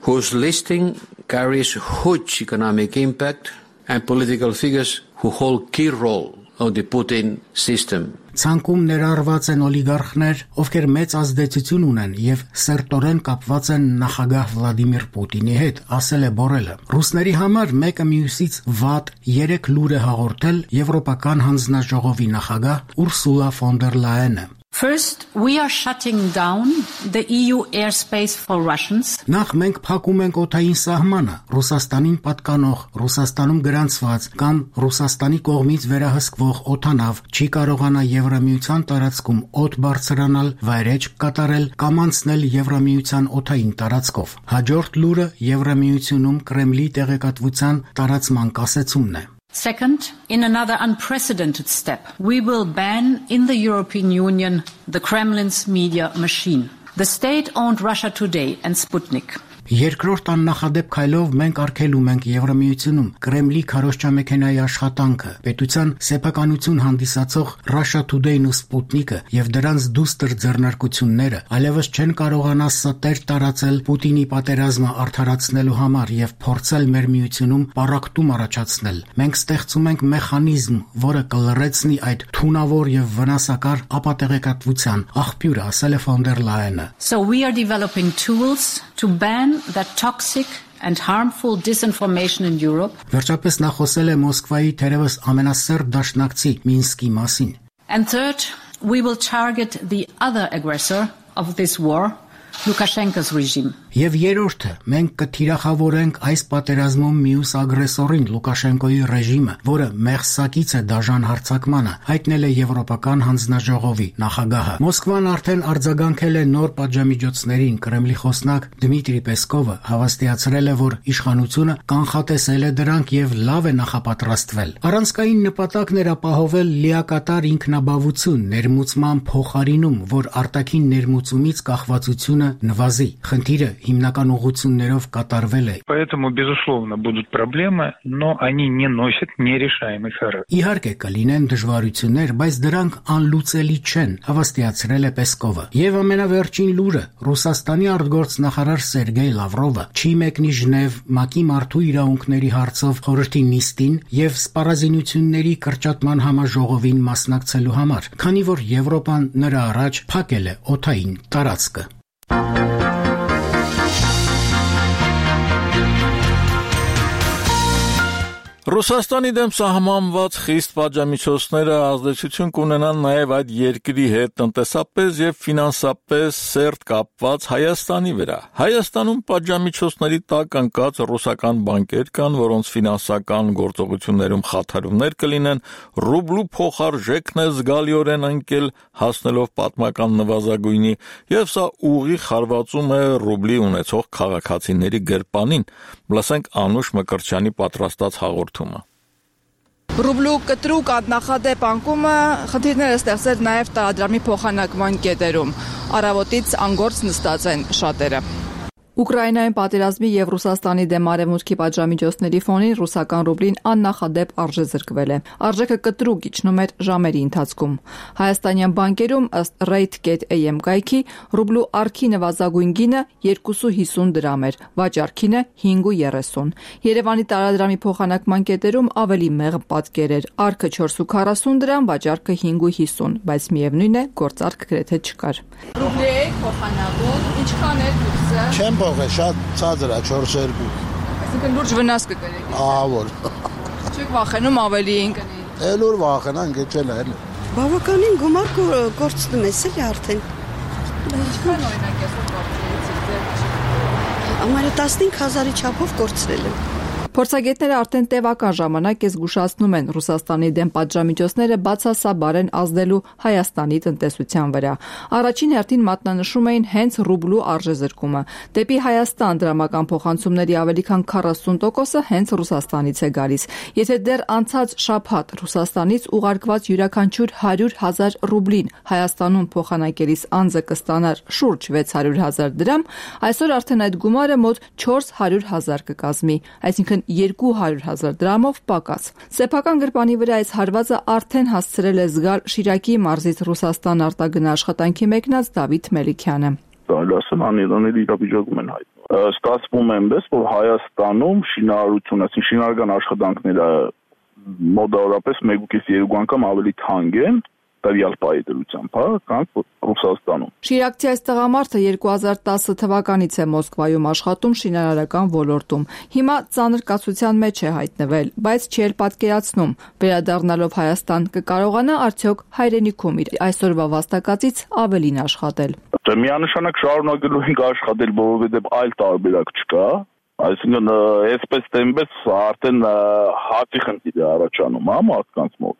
whose listing carries huge economic impact and political figures who hold key role of the Putin system. Ցանկում ներառված են օլիգարխներ, ովքեր մեծ ազդեցություն ունեն եւ սերտորեն կապված են նախագահ Վլադիմիր Պուտինի հետ, ասել է Բորելը։ Ռուսների համար մեկը մյուսից վատ երեք լուր է հաղորդել Եվրոպական հանձնաժողովի նախագահ Ուրսուլա ֆոն դեր Լայենը։ First, we are shutting down the E U airspace for Russians. Նախ մենք փակում ենք օդային սահմանը, Ռուսաստանին պատկանող, Ռուսաստանում գրանցված կամ Ռուսաստանի կողմից վերահսկվող օդանավ չի կարողանա Եվրամիության տարածքում օդ բարձրանալ, վայրէջք կատարել կամ անցնել Եվրամիության օդային տարածքով։ Հաջորդ լուրը Եվրամիությունում Կրեմլի տեղեկատվության տարածման կասեցումն է։ Second, in another unprecedented step, we will ban in the European Union the Kremlin's media machine. The state-owned Russia Today and Sputnik. Երկրորդ աննախադեպ քայլով մենք արգելում ենք Եվրամիությունում Կրեմլի քարոզչամեքենայի աշխատանքը, պետության սեփականություն հանդիսացող Russia Today-ն ու Sputnik-ը եւ դրանց դուստր ձեռնարկությունները այլևս չեն կարողանա ստեր տարածել Պուտինի պատերազմը արդարացնելու համար եւ փորձել մեր միությունում պառակտում առաջացնել։ Մենք ստեղծում ենք մեխանիզմ, որը կլրացնի այդ թունավոր եւ վնասակար ապատեղեկատվության աղբյուրը, ասել է ֆոն դեր Լայենը։ So we are developing tools to ban that toxic and harmful disinformation in Europe. Վերջապես նա խոսել է Մոսկվայի թերևս ամենասերտ դաշնակցի Մինսկի մասին։ And third, we will target the other aggressor of this war, Lukashenko's regime. Եվ երրորդը, մենք կթիրախավորենք այս պատերազմում մյուս ագրեսորին Լուկաշենկոյի ռեժիմը, որը մեղսակից է դաժան հարձակմանը, հայտնել է Եվրոպական հանձնաժողովի նախագահը։ Մոսկվան արդեն արձագանքել է նոր պատժամիջոցներին։ Կրեմլի խոսնակ Դմիտրի Պեսկովը հավաստիացրել է, որ իշխանությունը կանխատեսել է դրանք եւ լավ է նախապատրաստվել։ Առանցքային նպատակն էր ապահովել լիակատար ինքնաբավություն ներմուծման փոխարինում, որ արտաքին ներմուծումից կախվածությունը նվազի։ Խնդիրը հիմնական ուղղություններով կատարվել է։ Поэтому безусловно будут проблемы, но они не носят нерешаемый характер. Իհարկե կլինեն դժվարություններ, բայց դրանք անլուծելի չեն, հավաստիացրել է Պեսկովը։ Եվ ամենավերջին լուրը, Ռուսաստանի արտգործնախարար Սերգեյ Լավրովը չի մեկնի Ժնև ՄԱԿ-ի մարդու իրավունքների հարցով խորհրդի նիստին եւ սպառազինությունների կրճատման համաժողովին մասնակցելու համար, քանի որ Եվրոպան նրա առաջ փակել է օդային տարածքը։ Ռուսաստանի դեմ սահմանված խիստ պատժամիջոցները ազդեցություն կունենան նաև այդ երկրի հետ տնտեսապես եւ ֆինանսապես սերտ կապված Հայաստանի վրա։ Հայաստանում պատժամիջոցների տակ ընկած ռուսական բանկեր կան, որոնց ֆինանսական գործողություններում խաթարումներ կլինեն, ռուբլու փոխարժեքն է զգալիորեն ընկել, հասնելով պատմական նվազագույնի, եւ սա ուղիղ հարվածում է ռուբլի ունեցող քաղաքացիների գրպանին։ Լսենք Անուշ Մկրտչյանի պատրաստած հաղորդումը։ Ռուբլու կտրուկ աննախադեպ անկումը խնդիրներ է ստեղծել նաև տարադրամի փոխանակման կետերում։ Առավոտից անգործ նստած են շատերը։ Ուկրաինայում պատերազմի եւ Ռուսաստանի դեմ արևմուտքի պատժամիջոցների ֆոնին ռուսական ռուբլին աննախադեպ արժեզրկվել է։ Արժեքը կտրուկ իջնում էր ժամերի ընթացքում։ Հայաստանյան բանկերում ըստ rate.am կայքի ռուբլու արքի նվազագույն գինը երկու հիսուն դրամ էր, վաճառքինը հինգ երեսուն։ Երևանի տարադրամի փոխանակման կետերում ավելի մեղմ պատկեր էր։ Արքը չորս քառասուն դրամ, վաճառքը հինգ հիսուն, բայց միևնույն է, գործարք գրեթե չկար։ Ռուբլի փոխանակում ինչքան է կուրսը։ Չեմ փոխե, շատ ցածր է, չորս երկու։ Այսինքն լուրջ վնաս կկրեք։ Ահավոր։ Չեք վախենում ավելիին կնի։ Էլ որ վախենան, գեչել է։ Բավականին գումար կորցնում ես էլի արդեն։ Ինչքան օրինակ այսօր կորցրեցիք։ Ամառը տասնհինգ հազարի չափով կորցրել եմ։ Փորձագետները արդեն տևական ժամանակ է զգուշացնում են Ռուսաստանի դեմ պատժամիջոցները բացասաբար են ազդելու Հայաստանի տնտեսության վրա։ Առաջին հերթին մատնանշում էին հենց ռուբլու արժեզրկումը։ Դեպի Հայաստան դրամական փոխանցումների ավելի քան քառասուն տոկոսը հենց Ռուսաստանից է գալիս։ Եթե դեռ անցած շաբաթ Ռուսաստանից ուղարկված յուրաքանչյուր հարյուր հազար ռուբլին Հայաստանում փոխանակելիս անձը կստանար շուրջ վեց հարյուր հազար դրամ, այսօր արդեն այդ գումարը մոտ չորս հարյուր հազար կկազմի, այսինքն երկու հարյուր հազար դրամով պակաս։ Սեփական գրպանի վրա այս հարվածը արդեն հասցրել է զգալ Շիրակի մարզից Ռուսաստան արտագնա աշխատանքի մեկնած Դավիթ Մելիքյանը։ Դալասն անիրաների իրավիճակում են հայտնվում։ Ստացվում է այնպես, որ Հայաստանում շինարարություն, այսինքն շինարարական աշխատանքները մոտավորապես մեկ կես երկու անգամ ավելի թանկ են տվյալ պահի դրությամբ, հա, քան Ռուսաստանում։ Շիրակցի այս տղամարդը երկու հազար տասը թվականից է Մոսկվայում աշխատում շինարարական ոլորտում։ Հիմա ծանր կացության մեջ է հայտնվել, բայց չի էլ պատկերացնում, վերադառնալով Հայաստան կկարողանա արդյոք հայրենիքում իր այսօրվա վաստակածից ավելին աշխատել։ Դե միանշանակ շարունակելու ենք աշխատել, որովհետև այլ տարբերակ չկա։ Այսինքն այսպես տեմպես արդեն հացի խնդիր է առաջանում, հա, մարդկանց մոտ։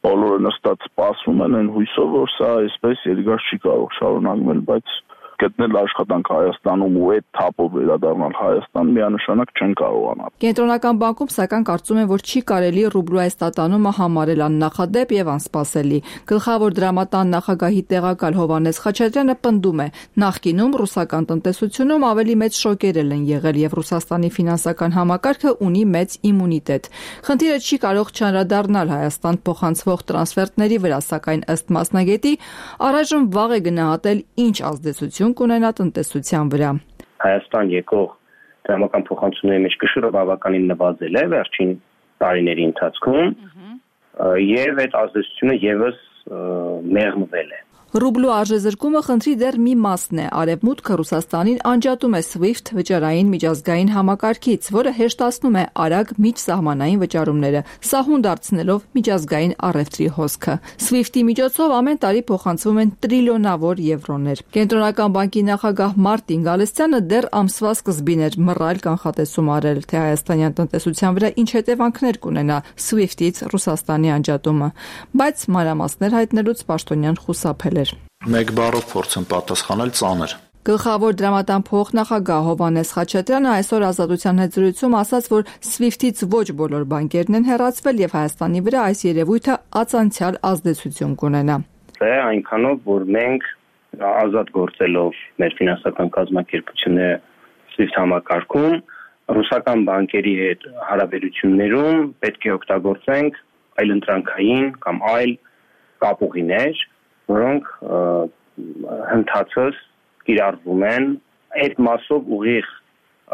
Բոլորը նստած սպասում են այն հույսով, որ սա այսպես երկար չի կարող շարունակվել, բայց գտնել աշխատանք Հայաստանում ու այդ թափով վերադառնալ Հայաստան միանշանակ չեն կարողանալ։ Կենտրոնական բանկում սակայն կարծում են, որ չի կարելի ռուբլու այս տատանումը համարել աննախադեպ եւ անսպասելի։ Գլխավոր դրամատան նախագահի տեղակալ Հովհաննես Խաչատրյանը պնդում է, նախկինում ռուսական տնտեսությունում ավելի մեծ շոկերել են եղել եւ Ռուսաստանի ֆինանսական համակարգը ունի մեծ իմունիտետ։ Խնդիրը չի կարող չանդրադառնալ Հայաստան փոխանցվող տրանսֆերտների վրա, սակայն ըստ մասնագետի առայժմ վաղ է գնահատել ինչ ազդեցություն կունենա տնտեսության վրա։ Հայաստան եկող դրամական փոխանցումների մեջ կշռը բավականին նվազել է վերջին տարիների ընթացքում եւ այդ ազդեցությունը եւս մեղմվել է։ Ռուբլու արժեզրկումը խնդրի դեռ մի մասն է։ Արևմուտքը Ռուսաստանին անջատում է SWIFT վճարային միջազգային համակարգից, որը հեշտացնում է արագ միջսահմանային վճարումները, սահուն դարձնելով միջազգային առևտրի հոսքը։ SWIFT-ի միջոցով ամեն տարի փոխանցվում են տրիլիոնավոր եվրոներ։ Կենտրոնական բանկի նախագահ Մարտին Գալստյանը դեռ ամսվա սկզբին էր մռայլ կանխատեսում արել, թե հայաստանյան տնտեսության վրա ինչ հետևանքներ կունենա SWIFT-ից Ռուսաստանի անջատումը, բայց մանրամասներ հայտնելուց պաշտոնյան խուսափել է։ Մեկ բառով փորձեմ պատասխանել ծանր։ Գլխավոր դրամատան փոխնախագահ Հովհաննես Խաչատրյանը այսօր Ազատության հետ զրույցում ասաց, որ SWIFT-ից ոչ բոլոր բանկերն են հեռացվել եւ Հայաստանի վրա այս երևույթը ածանցյալ ազդեցություն կունենա։ Դա այնքանով, որ մենք ազատ գործելով մեր ֆինանսական կազմակերպությունները SWIFT համակարգում ռուսական բանկերի հետ հարաբերություններում պետք է օգտագործենք այլընտրանքային կամ այլ կապուղիներ, որոնք հնդածս կիրառվում են այդ մասով ուղիղ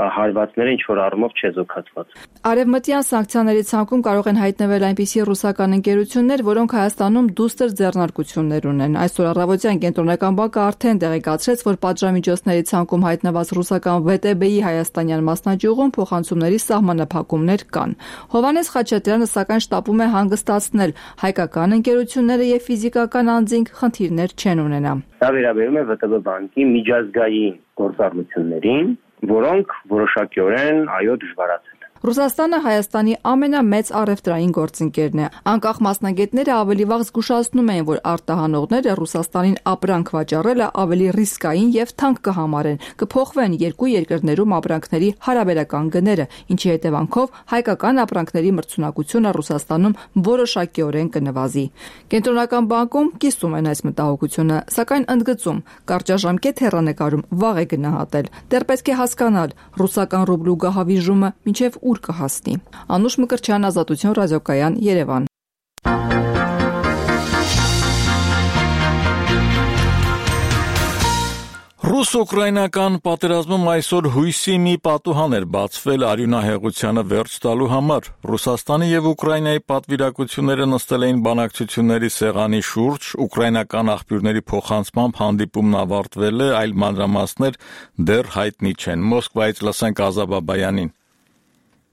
հարվածները ինչ որ առումով չեզոքացված։ Արևմտյան սանկցիաների ցանկում կարող են հայտնվել այնպիսի ռուսական ընկերություններ, որոնք Հայաստանում դուստր ձեռնարկություններ ունեն։ Այսօր առավոտյան Կենտրոնական բանկը արդեն տեղեկացրեց, որ պատժամիջոցների ցանկում հայտնված ռուսական վե տե բե-ի հայաստանյան մասնաճյուղում փոխանցումների սահմանափակումներ կան։ Հովհաննես Խաչատրյանը սակայն շտապում է հանգստացնել հայկական ընկերությունները եւ ֆիզիկական անձինք խնդիրներ չեն ունենա։ Դա վերաբերում է վե տե բե բանկի միջազգային գործառնություններին, որոնք որոշակիորեն այո դժվարացել են։ Ռուսաստանը Հայաստանի ամենամեծ առևտրային գործընկերն է։ Անկախ մասնագետները ավելի վաղ զգուշացնում էին, որ արտահանողները Ռուսաստանին ապրանք վաճառելը ավելի ռիսկային եւ թանկ կհամարեն, կփոխվեն երկու երկրներում ապրանքների հարաբերական գները, ինչի հետևանքով հայկական ապրանքների մրցունակությունը Ռուսաստանում որոշակիորեն կնվազի։ Կենտրոնական բանկում կիսում են այս մտահոգությունը, սակայն ընդգծում, կարճաժամկետ հեռանկարում վաղ է գնահատել։ Դեռ պետք է հասկանալ ռուսական ռուբլու գահավիժումը մինչև ուր կհասնի։ Անուշ Մկրտչյան, Ազատություն ռադիոկայան, Երևան։ Ռուս-ուկրաինական պատերազմում այսօր հույսի մի պատուհան էր բացվել արյունահեղությանը վերջ տալու համար։ Ռուսաստանի եւ Ուկրաինայի պատվիրակությունները նստել էին բանակցությունների սեղանի շուրջ, ուկրաինական աղբյուրների փոխանցմամբ հանդիպումն ավարտվել է, այլ մանրամասներ դեռ հայտնի չեն։ Մոսկվայից լսենք Ազա Բաբայանին։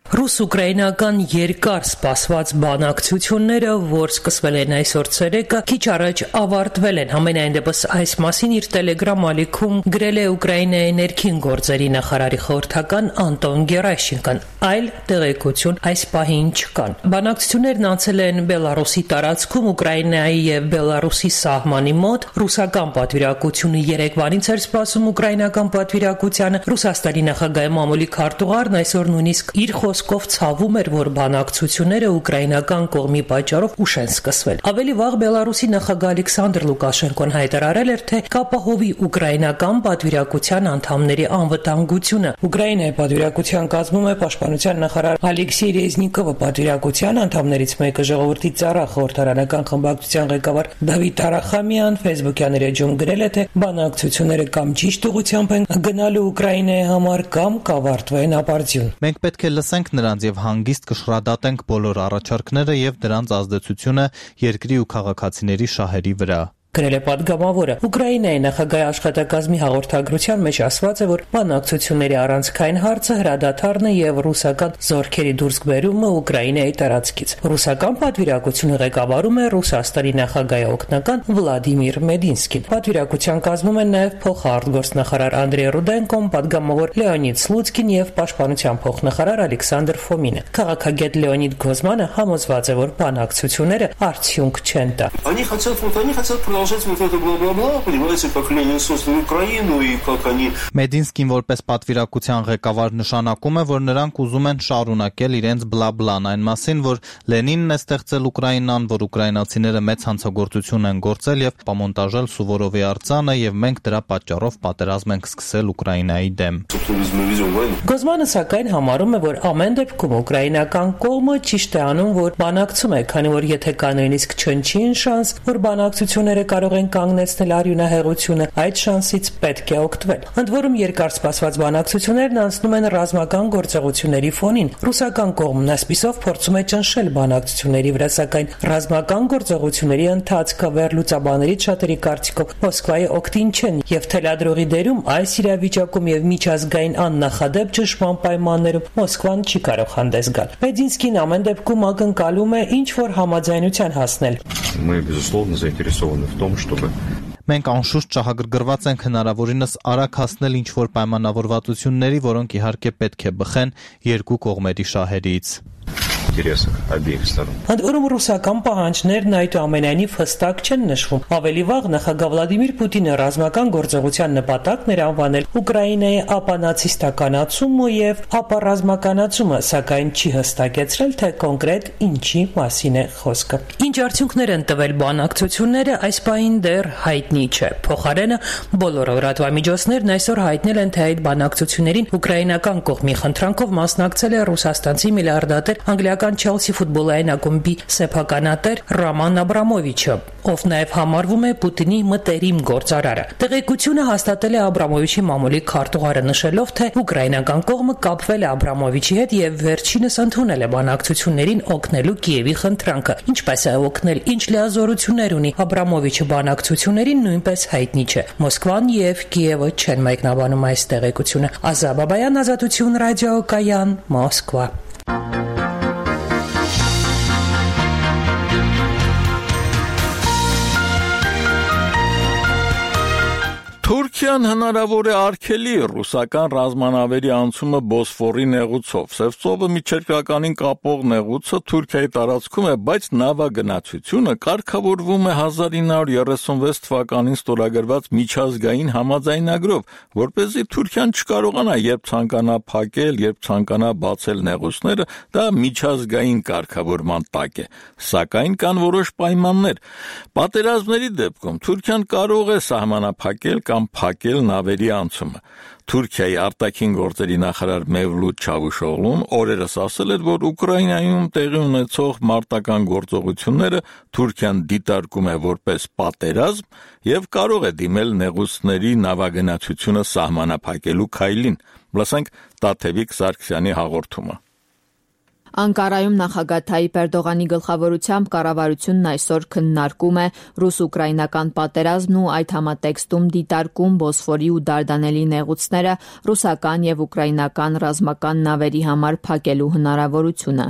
Ռուս-ուկրաինական երկար սպասված բանակցությունները, որ սկսվել են այսօր ցերեկը, քիչ առաջ ավարտվել են։ Համենայն դեպս այս մասին իր Telegram ալիքում գրել է Ուկրաինայի ներքին գործերի նախարարի խորհրդական Անտոն Գերաշինկան, այլ տեղեկություն այս պահին չկան։ Բանակցություններն անցել են Բելարուսի տարածքում, Ուկրաինայի եւ Բելարուսի սահմանի մոտ։ Ռուսական պատվիրակությունը երեկվանից էր սպասում ուկրաինական պատվիրակությանը։ Ռուսաստանի նախագահի մամուլի քարտուղարն այսօր նույնիսկ իր խոսքով ցավում էր, որ բանակցությունները ուկրաինական կողմի պատճառով ուշ են սկսվել։ Ավելի վաղ Բելարուսի նախագահ Ալեքսանդր Լուկաշենկոն հայտարարել էր, թե կապահովի ուկրաինական պատվիրակության անդամների անվտանգությունը։ Ուկրաինայի պատվիրակության կազմում է պաշտպանության նախարար Ալեքսեյ Ռեզնիկովը, պատվիրակության անդամներից մեկը ժողովրդի ծառա խորհրդարանական խմբակցության ղեկավար Դավիթ Արախամյան Facebook-յան իր էջում գրել է, թե բանակցությունները կամ ճիշտ ուղղությամբ են գնալու Ուկրաինայի համար, կամ կավարտվեն ապարդյուն։ Մենք պետք է լսենք նրանց եւ հանգիստ կշռադատենք բոլոր առաջարկները եւ դրանց ազդեցությունը երկրի ու քաղաքացիների շահերի վրա։ Գրել է պատգամավորը։ Ուկրաինայի նախագահի աշխատակազմի հաղորդագրության մեջ ասված է, որ բանակցությունների առանցքային հարցը հրադադարն է եւ ռուսական զորքերի դուրսբերումը Ուկրաինայի տարածքից։ Ռուսական պատվիրակությունը ղեկավարում է Ռուսաստանի նախագահի օգնական Վլադիմիր Մեդինսկին։ Պատվիրակության կազմում են նաեւ փոխարտգործնախարար Անդրեյ Ռուդենկոն, պատգամավոր Լեոնիդ Սլուցկին եւ պաշտպանության փոխնախարար Ալեքսանդր Ֆոմինը։ Քաղաքագետ Լեոնիդ Գոզմանը համոզված է, որ բանակցությունները արդյունք չեն տա։ Вот это бла-бла-бла, понимаете, как Ленин создал Украину и как они... Մեդինսկին որպես պատվիրակության ղեկավար նշանակում է, որ նրանք ուզում են շարունակել իրենց բլա-բլան այն մասին, որ Լենինն է ստեղծել Ուկրաինան, որ ուկրաինացիները մեծ հանցագործություն են գործել եւ պամոնտաժել Սուվորովի արձանը եւ մենք դրա պատճառով պատերազմ ենք սկսել Ուկրաինայի դեմ։ Գոզմանը սակայն համարում է, որ ամեն դեպքում ուկրաինական կողմը ճիշտ է անում, որ բանակցում է, քանի որ եթե կա նույնիսկ չնչին շանս, որ բանակցությունները կարող են կանգնեցնել արյունահեղությունը, այդ շանսից պետք է օգտվել։ Ընդ որում երկար սպասված բանակցություններն անցնում են ռազմական գործողությունների ֆոնին։ Ռուսական կողմն այսպիսով փորձում է ճնշել բանակցությունների վրա, սակայն ռազմական գործողությունների ընթացքը վերլուծաբաններից շատերի կարծիքով Մոսկվայի օգտին չեն եւ թելադրողի դերում այս իրավիճակում եւ միջազգային աննախադեպ ճնշման պայմաններում Մոսկվան չի կարող հանդես գալ։ Մեդինսկին ամեն դեպքում ակնկալում է ինչ որ համաձայնության հասնել։ Мы, безусловно, заинтересованы в том, чтобы Մենք անշուշտ շահագրգռված ենք հնարավորինս արագ հասնել ինչ-որ պայմանավորվածությունների, որոնք իհարկե պետք է բխեն երկու կողմերի շահերից։ Ընդ որում ռուսական պահանջներն այդուամենայնիվ հստակ չեն նշվում։ Ավելի վաղ նախագահ Վլադիմիր Պուտինը ռազմական գործողության նպատակն էր անվանել Ուկրաինայի ապանացիստականացումը եւ ապառազմականացումը, սակայն չի հստակեցրել, թե կոնկրետ ինչի մասին է խոսքը։ Ինչ արդյունքներ են տվել բանակցությունները, այս պահին դեռ հայտնի չէ։ Փոխարենը բոլոր լրատվամիջոցներն այսօր հայտնել են, թե այդ բանակցություններին ուկրաինական կողմի խնդրանքով մասնակցել է ռուսաստանցի միլիարդատեր անգլիական ամերիկյան Chelsea ֆուտբոլային ակումբի սեփականատեր Ռոման Աբրամովիչը, ով նաև համարվում է Պուտինի մտերիմ գործարարը։ Տեղեկությունը հաստատել է Աբրամովիչի մամուլի քարտուղարը, նշելով, թե ուկրաինական կողմը կապվել է Աբրամովիչի հետ եւ վերջինս ընդունել է բանակցություններին օգնելու Կիևի խնդրանքը, ինչպես է օգնել, ինչ լիազորություններ ունի Աբրամովիչը բանակցություններին, նույնպես հայտնի չէ։ Մոսկվան եւ Կիևը չեն մեկնաբանում այս տեղեկությունը։ Ազա Բաբայան, Ազատություն ռադիոկայան, Մոսկվա։ Թուրքիան հնարավոր է արգելի ռուսական ռազմանավերի անցումը Բոսֆորի նեղուցով։ Սևծովը միջերկրականին կապող նեղուցը Թուրքիայի տարածքում է, բայց նավագնացությունը կարգավորվում է հազար ինը հարյուր երեսունվեց թվականին ստորագրված միջազգային համաձայնագրով, որպեսզի Թուրքիան չկարողանա երբ ցանկանա փակել, երբ ցանկանա բացել նեղուցները, դա միջազգային կարգավորման տակ է։ Սակայն կան որոշ պայմաններ։ Պատերազմների դեպքում Թուրքիան կարող է սահմանափակել կամ փակել նավերի անցումը։ Թուրքիայի արտաքին գործերի նախարար Մևլութ Չավուշօղլուն օրերս ասել էր, որ Ուկրաինայում տեղի ունեցող մարտական գործողությունները Թուրքիան դիտարկում է որպես պատերազմ եւ կարող է դիմել նեղուցների նավագնացությունը սահմանափակելու քայլին։ Լսենք Տաթևիկ Սարգսյանի հաղորդումը։ Անկարայում նախագահ Թայիպ Էրդողանի գլխավորությամբ կառավարությունն այսօր քննարկում է ռուս-ուկրաինական պատերազմն ու այդ համատեքստում դիտարկում Բոսֆորի ու Դարդանելի նեղուցները ռուսական եւ ուկրաինական ռազմական նավերի համար փակելու հնարավորությունը։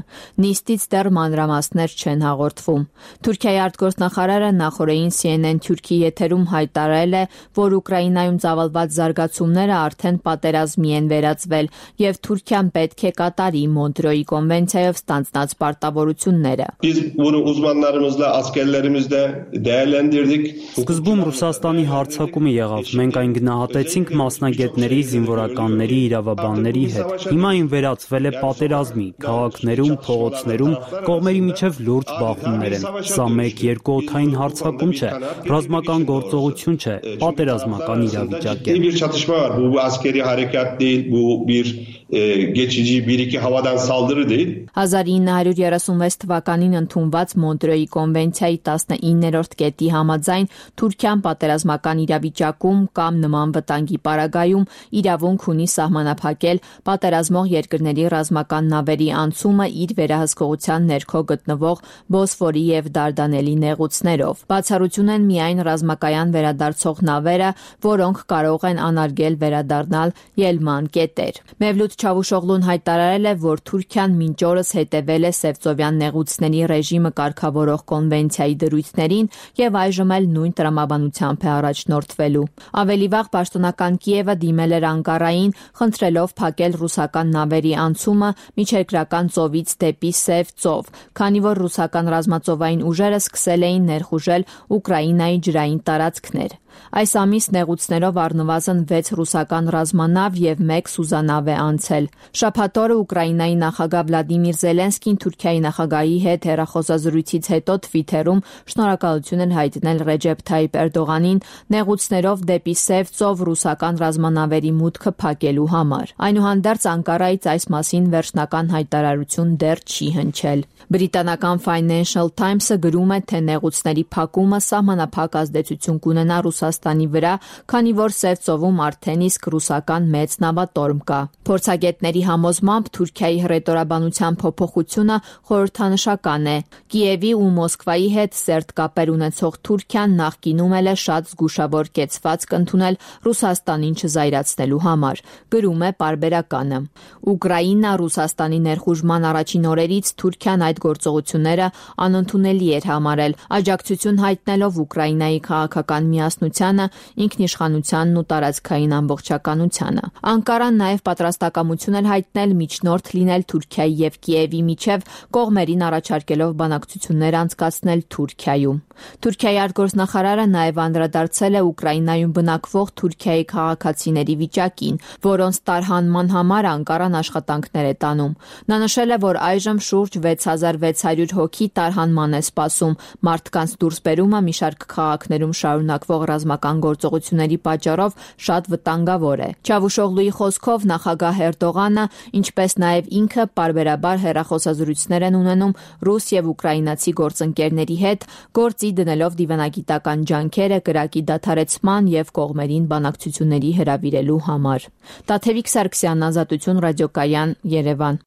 Նիստից դեռ մանրամասներ չեն հաղորդվում։ Թուրքիայի արտգործնախարարը նախորդին C N N Թուրքի եթերում հայտարարել է, որ Ուկրաինայում ծավալված զարգացումները արդեն պատերազմի են վերածվել եւ Թուրքիան պետք է կատարի Մոնտրեոյի կոնվենցիայով ստանձնած պարտավորությունները։ Biz bunu uzmanlarımızla, askerlerimizle değerlendirdik. Սկզբում Ռուսաստանի հարձակումը եղավ։ Մենք այն գնահատեցինք մասնագետների, զինվորականների, իրավաբանների հետ։ Հիմա այն վերածվել է պատերազմի, քաղաքներում, փողոցներում կողմերի միջև լուրջ բախումներ են։ Սա մեկ երկու օդային հարձակում չէ, ռազմական գործողություն չէ, պատերազմական իրավիճակ է։ Bir çatışma var. Bu askeri harekat değil, bu bir e, geçici bir iki havadan saldırı değil. հազար ինը հարյուր երեսունվեց թվականին ընդունված Մոնտրեոյի կոնվենցիայի տասնիններորդ կետի համաձայն Թուրքիան պատերազմական իրավիճակում կամ նման վտանգի պարագայում իրավունք ունի սահմանափակել պատերազմող երկրների ռազմական նավերի անցումը իր վերահսկողության ներքո գտնվող Բոսֆորի եւ Դարդանելի նեղուցներով։ Բացառություն են միայն ռազմակայան վերադարձող նավերը, որոնք կարող են անարգել վերադառնալ ելման կետեր։ Մևլութ Չավուշօղլուն հայտարարել է, որ Թուրքիան մինչ օրս հետևել է Սևծովյան նեղուցների ռեժիմը կարգավորող կոնվենցիայի դրույթներին եւ այժմ էլ նույն տրամաբանությամբ է առաջնորդվելու։ Ավելի վաղ պաշտոնական Կիևը դիմել էր Անկարային, խնդրելով փակել ռուսական նավերի անցումը միջերկրական ծովից դեպի Սև ծով, քանի որ ռուսական ռազմածովային ուժերը սկսել էին ներխուժել Ուկրաինայի ջրային տարածքներ։ Այս ամիս նեղուցներով առնվազն վեց ռուսական ռազմանավ եւ մեկ սուզանավ է անցել։ Շաբաթ օրը Ուկրաինայի նախագահ Վլադիմիր Զելենսկին Թուրքիայի նախագահի հետ հեռախոսազրույցից հետո Թվիթերում շնորհակալություն էր հայտնել Ռեջեփ Թայիպ Էրդողանին նեղուցներով դեպի Սև ծով ռուսական ռազմանավերի մուտքը փակելու համար։ Այնուհանդերձ Անկարայից այս մասին վերջնական հայտարարություն դեռ չի հնչել։ Բրիտանական Financial Times-ը գրում է, թե նեղուցների փակումը սահմանափակ ազդեցություն կունենա Ռուսաստանի վրա, քանի որ Սև ծովում արդեն իսկ ռուսական մեծ նավատորմ կա։ Փորձագետների համոզմամբ Թուրքիայի հռետորաբանության փոփոխությունը խորհրդանշական է։ Կիևի ու Մոսկվայի հետ սերտ կապեր ունեցող Թուրքիան նախկինում էլ է շատ զգուշավոր կեցվածք ընդունել Ռուսաստանին չզայրացնելու համար, գրում է պարբերականը։ Ուկրաինա Ռուսաստանի ներխուժման առաջին օրերից Թուրքիան այդ գործողությունները անընդունելի էր համարել, աջակցություն հայտնելով Ուկրաինայի քաղաքական միասնությանը, ինքնիշխանությանն ու տարածքային ամբողջականությանը։ Անկարան նաև պատրաստակամություն էր հայտնել միջնորդ լինել Թուրքիայի եւ Կիևի միջև, կողմերին առաջարկելով բանակցություններ անցկացնել Թուրքիայում։ Թուրքիայի արտգործնախարարը նաև անդրադարձել է Ուկրաինայում բնակվող Թուրքիայի քաղաքացիների վիճակին, որոնց տարհանման համար Անկարան աշխատանքներ է տանում։ Նա նշել է, որ այժմ շուրջ վեց հազար վեց հարյուր հոգի տարհանման է սպասում։ Մարդկանց դուրսբերումը մի շարք քաղաքներում շարունակվող ռազմական գործողությունների պատճառով շատ վտանգավոր է։ Չավուշօղլուի խոսքով նախագահ Էրդողանը, ինչպես նաև ինքը պարբերաբար հեռախոսազրույցներ են ունենում ռուս եւ ուկրաինացի գործընկերների հետ, գործի դնելով դիվանագիտական ջանքերը կրակի դադարեցման եւ կողմերին բանակցությունների հրավիրելու համար։ Տաթևիկ Սարգսյան, Ազատություն ռադիոկայան, Երևան։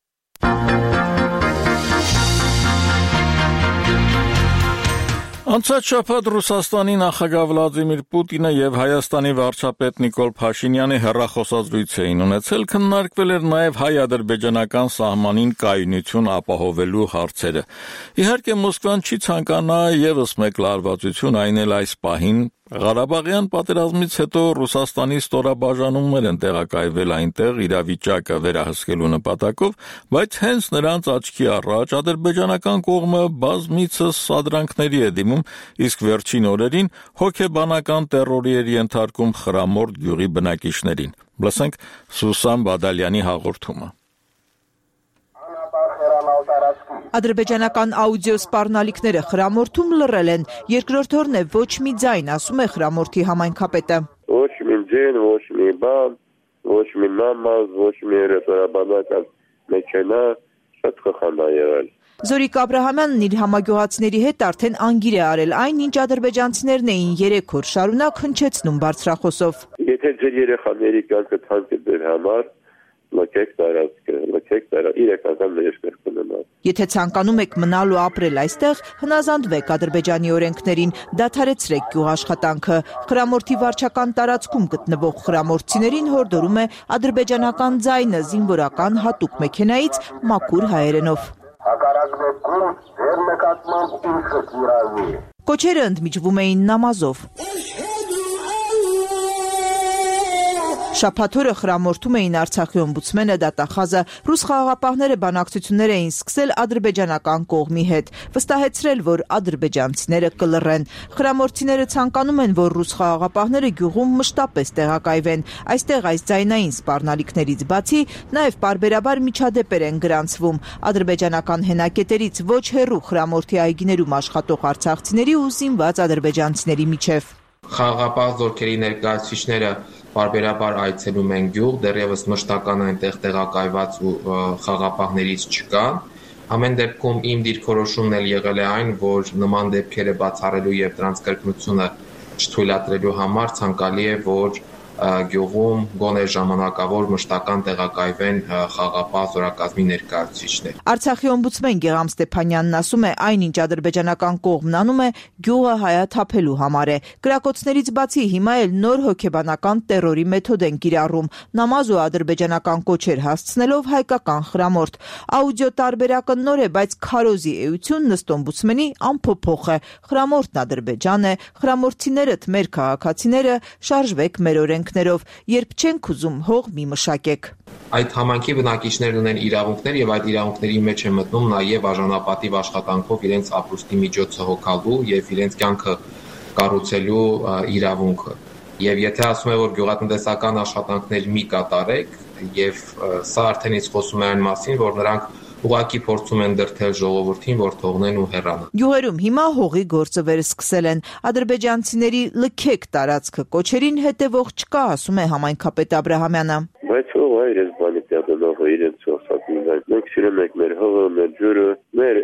Անցած շաբաթ Ռուսաստանի նախագահ Վլադիմիր Պուտինը եւ Հայաստանի վարչապետ Նիկոլ Փաշինյանը հեռախոսազրույց էին ունեցել, քննարկվել էր նաեւ հայ-ադրբեջանական սահմանին կայունություն ապահովելու հարցերը։ Իհարկե Մոսկվան չի ցանկանա եւս մեկ լարվածություն, այն էլ այս պահին Ղարաբաղյան պատերազմից հետո Ռուսաստանի ստորաբաժանումներ են տեղակայվել այնտեղ իրավիճակը վերահսկելու նպատակով, բայց հենց նրանց աչքի առաջ ադրբեջանական կողմը բազմիցս սադրանքների է դիմում, իսկ վերջին օրերին հոգեբանական տերորի էր ենթարկում Խրամորդ գյուղի բնակիչներին։ Լսենք Սուսան Բադալյանի հաղորդումը։ Ադրբեջանական աուդիո սպառնալիքները Խրամորդում լռել են, երկրորդորն է ոչ մի ձայն, ասում է Խրամորդի համայնքապետը։ Ոչ մի ձայն, ոչ մի բան, ոչ մի նամազ, ոչ մի ռեստորանական մեքենա, շատ խխանդ է եղել։ Զորիկ Աբրահամյանն իր համագյուղացիների հետ արդեն անգիր է արել այն, ինչ ադրբեջանցիներն էին երեք օր շարունակ հնչեցնում բարձրախոսով։ Եթե ձեր երեխաների կյանքը թանկ է ձեր համար, լքեք տարածքը, լքեք տարածքը, իրական ներշնչել կունենալ։ Եթե ցանկանում եք մնալ ու ապրել այստեղ, հնազանդվեք Ադրբեջանի օրենքներին, դադարեցրեք գյուղաշխատանքը։ Խրամորդի վարչական տարածքում գտնվող խրամորդցիներին հորդորում է ադրբեջանական ձայնը զինվորական հատուկ մեքենայից մաքուր հայերենով։ Կոչերը ընդմիջվում էին նամազով։ Շաբաթօրը Խրամորդում էին Արցախի օմբուդսմենը, դատախազը, ռուս խաղաղապահները բանակցություններ էին սկսել ադրբեջանական կողմի հետ, վստահեցրել, որ ադրբեջանցիները կլռեն։ Խրամորդցիները ցանկանում են, որ ռուս խաղաղապահները գյուղում մշտապես տեղակայվեն։ Այստեղ այս ձայնային սպառնալիքներից բացի նաև պարբերաբար միջադեպեր են գրանցվում ադրբեջանական հենակետերից ոչ հեռու Խրամորդի այգիներում աշխատող արցախցիների ու զինված ադրբեջանցիների միջև։ Խաղաղապահ զորքերի ներկայացուցիչները պարբերաբար այցելում են գյուղ, դեռևս մշտական այնտեղ տեղակայված ու խաղաղապահներից չկան։ Ամեն դեպքում իմ դիրքորոշումն էլ եղել է այն, որ նման դեպքերը բացառելու եւ դրանց կրկնությունը չթույլատրելու համար ցանկալի է, որ գյուղում գոնե ժամանակավոր մշտական տեղակայվեն խաղաղապահ զորակազմի ներկայացուցիչներ։ Արցախի օմբուդսմեն Գեգամ Ստեփանյանն ասում է, այնինչ ադրբեջանական կողմն անում է, գյուղը հայաթափելու համար է։ Կրակոցներից բացի հիմա էլ նոր հոգեբանական տերորի մեթոդ են կիրառում, նամազ ու ադրբեջանական կոչեր հասցնելով հայկական Խրամորդ։ Աուդիո տարբերակը նոր է, բայց քարոզի էությունն ըստ օմբուդսմենի անփոփոխ է։ Խրամորդն Ադրբեջան է, խրամորդցիներդ մեր քաղաքացիները, շարժվեք մեր օրենք երբ չենք ուզում հող մի մշակեք։ Այդ համայնքի բնակիչներն ունեն իրավունքներ եւ այդ իրավունքների մեջ է մտնում նաեւ արժանապատիվ աշխատանքով իրենց ապրուստի միջոցը հոգալու եւ իրենց կյանքը կառուցելու իրավունքը։ Եվ եթե ասում է, որ գյուղատնտեսական աշխատանքներ մի կատարեք, եւ սա արդեն իսկ խոսում է այն մասին, որ նրանք ուղղակի փորձում են դրթել ժողովրդին, որ թողնեն ու հեռանան։ Գյուղերում հիմա հողի գործը վերսկսել են։ Ադրբեջանցիների լքեք տարածքը կոչերին հետևող չկա, ասում է համայնքապետ Աբրահամյանը։ Բայց հողը իրենց բանի տեղանողը իրենց սոցիալական մենք սիրում ենք մեր հողը, մեր ջուրը, մեր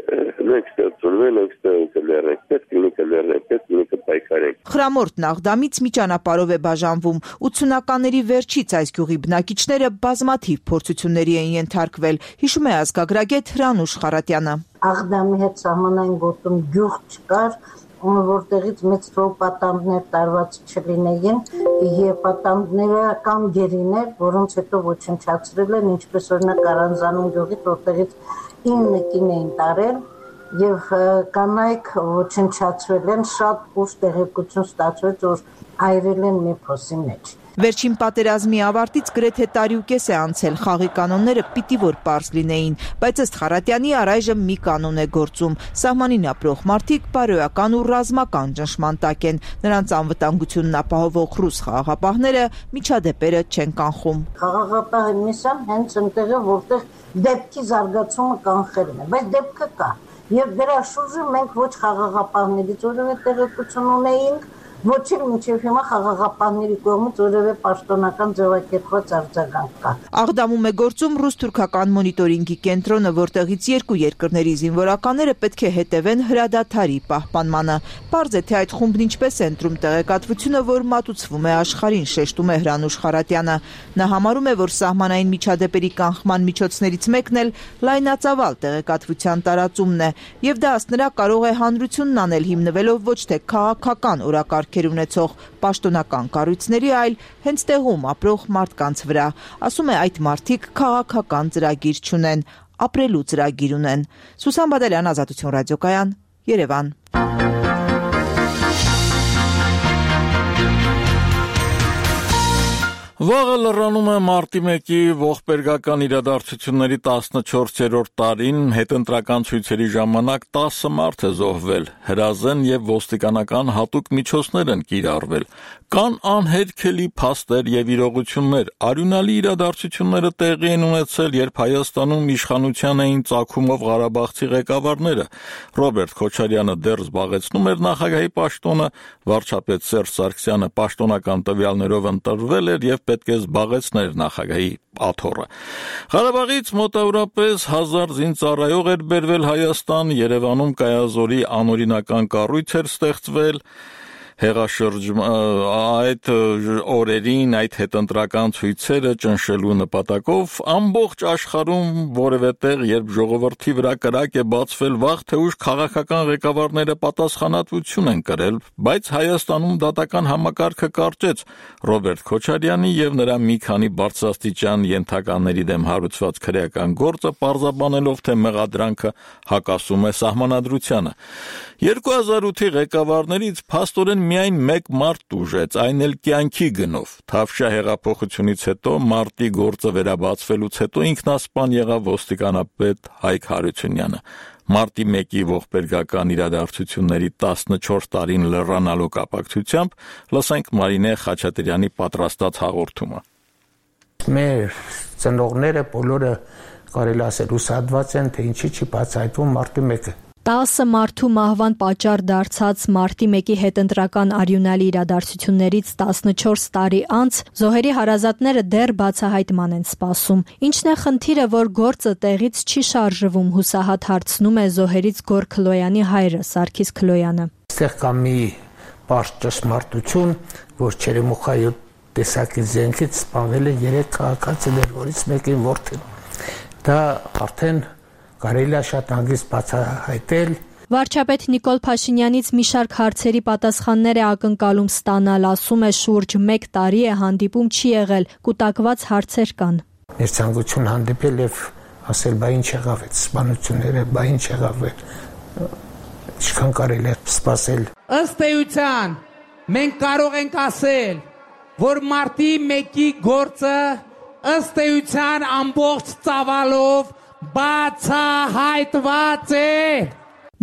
մենք ստեղծում ենք ստեղծումներ, պետք է կներենք, պետք է պայքարենք։ Խրամորդն Աղդամից մի ճանապարհով է բաժանվում։ ութսունականների վերջից այս գյուղի բնակիչները բազմաթիվ փորձությունների են ենթարկվել, հիշում է ազգագրագետ Հրանուշ Խարատյանը։ Աղդամի հետ սահմանային գոտում գյուղ չկար, որտեղից մեծ պատանդներ տարված չլինեին, եւ պատանդները կամ գերիներ, որոնց հետո ոչնչացրել են, ինչպես օրինակ Կարանզանում գյուղից, որտեղից ինը կին էին տարել եւ կանայք ոչնչացրել են, շատ ուշ տեղեկություն ստացվեց, որ այրել են մի փոսի մեջ։ Վերջին պատերազմի ավարտից գրեթե տարի ու կես է անցել, խաղի կանոնները պիտի որ պարզ լինեին, բայց ըստ Խարատյանի առայժմ մի կանոն է գործում։ Սահմանին ապրող մարդիկ բարոյական ու ռազմական ճնշման տակ են, նրանց անվտանգությունն ապահովող ռուս խաղաղապահները միջադեպերը չեն կանխում։ Խաղաղապահը միսան հենց այնտեղ է, որտեղ դեպքի զարգացումը կանխելն է, բայց դեպքը կա։ Եվ դրա շուրջը մենք ոչ խաղաղապահներից որևէ տեղեկություն ունեինք, Ոչ էլ մինչև հիմա խաղաղապահների կողմից որևէ պաշտոնական ձևակերպված արձագանք կա։ Աղդամում է գործում ռուս-թուրքական մոնիտորինգի կենտրոնը, որտեղից երկու երկրների զինվորականները պետք է հետևեն հրադադարի պահպանմանը։ Պարզ է, թե այդ խումբն ինչպես է ընտրում տեղեկատվությունը, որ մատուցվում է աշխարհին, շեշտում է Հրանուշ Խարատյանը։ Նա համարում է, որ սահմանային միջադեպերի կանխման միջոցներից մեկն էլ լայնածավալ տեղեկատվության տարածումն է, եւ դա ըստ նրա կարող է հանրությունն անել հիմնվելով ոչ թե քաղաքական օրակարգեր ունեցող պաշտոնական կառույցների, այլ հենց տեղում ապրող մարդկանց վրա։ Ասում է, այդ մարդիկ քաղաքական ծրագիր չունեն, ապրելու ծրագիր ունեն։ Սուսան Բադալյան, Ազատություն ռադիոկայան, Երևան։ Վաղը լրանում է մարտի մեկի ողբերգական իրադարձությունների տասնչորսերորդ տարին, հետընտրական ցույցերի ժամանակ տասը մարդ է զոհվել, հրազեն եւ ոստիկանական հատուկ միջոցներ են կիրառվել։ Կան անհերքելի փաստեր եւ իրողություններ, արյունալի իրադարձությունները տեղի են ունեցել, երբ Հայաստանում իշխանության էին ծագումով Ղարաբաղցի ղեկավարները։ Ռոբերտ Քոչարյանը դեռ զբաղեցնում էր նախագահի պաշտոնը, վարչապետ Սերժ Սարգսյանը պաշտոնական տվյալներով ընտրվել էր եւ պետք է զբաղեցներ նախագահի աթոռը։ Ղարաբաղից մոտավորապես հազար զինծառայող էր բերվել Հայաստան, Երևանում կայազորի անօրինական կառույց էր ստեղծվել։ Հեղաշրջում այդ օրերին այդ հետընտրական ցույցերը ճնշելու նպատակով ամբողջ աշխարհում որևէ տեղ, երբ ժողովրդի վրա կրակ է բացվել, վաղ թե ուշ քաղաքական ղեկավարները պատասխանատվություն են կրել, բայց Հայաստանում դատական համակարգը կարճեց Ռոբերտ Քոչարյանի եւ նրա մի քանի բարձրաստիճան ենթականների դեմ հարուցված քրեական գործը պարզաբանելով, թե մեղադրանքը հակասում է սահմանադրությանը։ երկու հազար ութի ղեկավարներից փաստորեն միայն մեկ մարդ տուժեց, այն էլ կյանքի գնով։ Թավշյա հեղափոխությունից հետո մարտի գործը վերաբացվելուց հետո ինքնասպան եղավ ոստիկանապետ Հայկ Հարությունյանը։ Մարտի մեկի ողբերգական իրադարձությունների տասնչորս տարին լրանալու կապակցությամբ լսենք Մարինե Խաչատրյանի պատրաստած հաղորդումը։ Մեր ծնողները բոլորը կարելի ասել ուսադված են, թե ինչի չի բացահայտվում մարտի մեկը։ տասը մարդու մահվան պատճառ դարձած մարտի մեկի հետընտրական արյունալի իրադարձություններից տասնչորս տարի անց զոհերի հարազատները դեռ բացահայտման են սպասում։ Ինչն է խնդիրը, որ գործը տեղից չի շարժվում, հուսահատ հարցնում է զոհերից Գոր Քլոյանի հայրը Սարգիս Քլոյանը։ Այստեղ կա մի պարզ ճշմարտություն, որ Չերեմուխայի տեսակի զենքից սպանվել է երեք քաղաքացիներ, որից մեկին որդին։ Դա արդեն կարելի է շատ հանգիստ բացահայտել։ Վարչապետ Նիկոլ Փաշինյանից մի շարք հարցերի պատասխաններ է ակնկալում ստանալ, ասում է շուրջ մեկ տարի է հանդիպում չի եղել, կուտակված հարցեր կան։ Մեր ցանկություն հանդիպել եւ ասել, բա ինչ եղավ այդ սպանությունները, բա ինչ եղավ, ինչքան կարելի է սպասել։ Ըստ էության մենք կարող ենք ասել, որ մարտի մեկի գործը ըստ էության ամբողջ ծավալով բացահայտված է։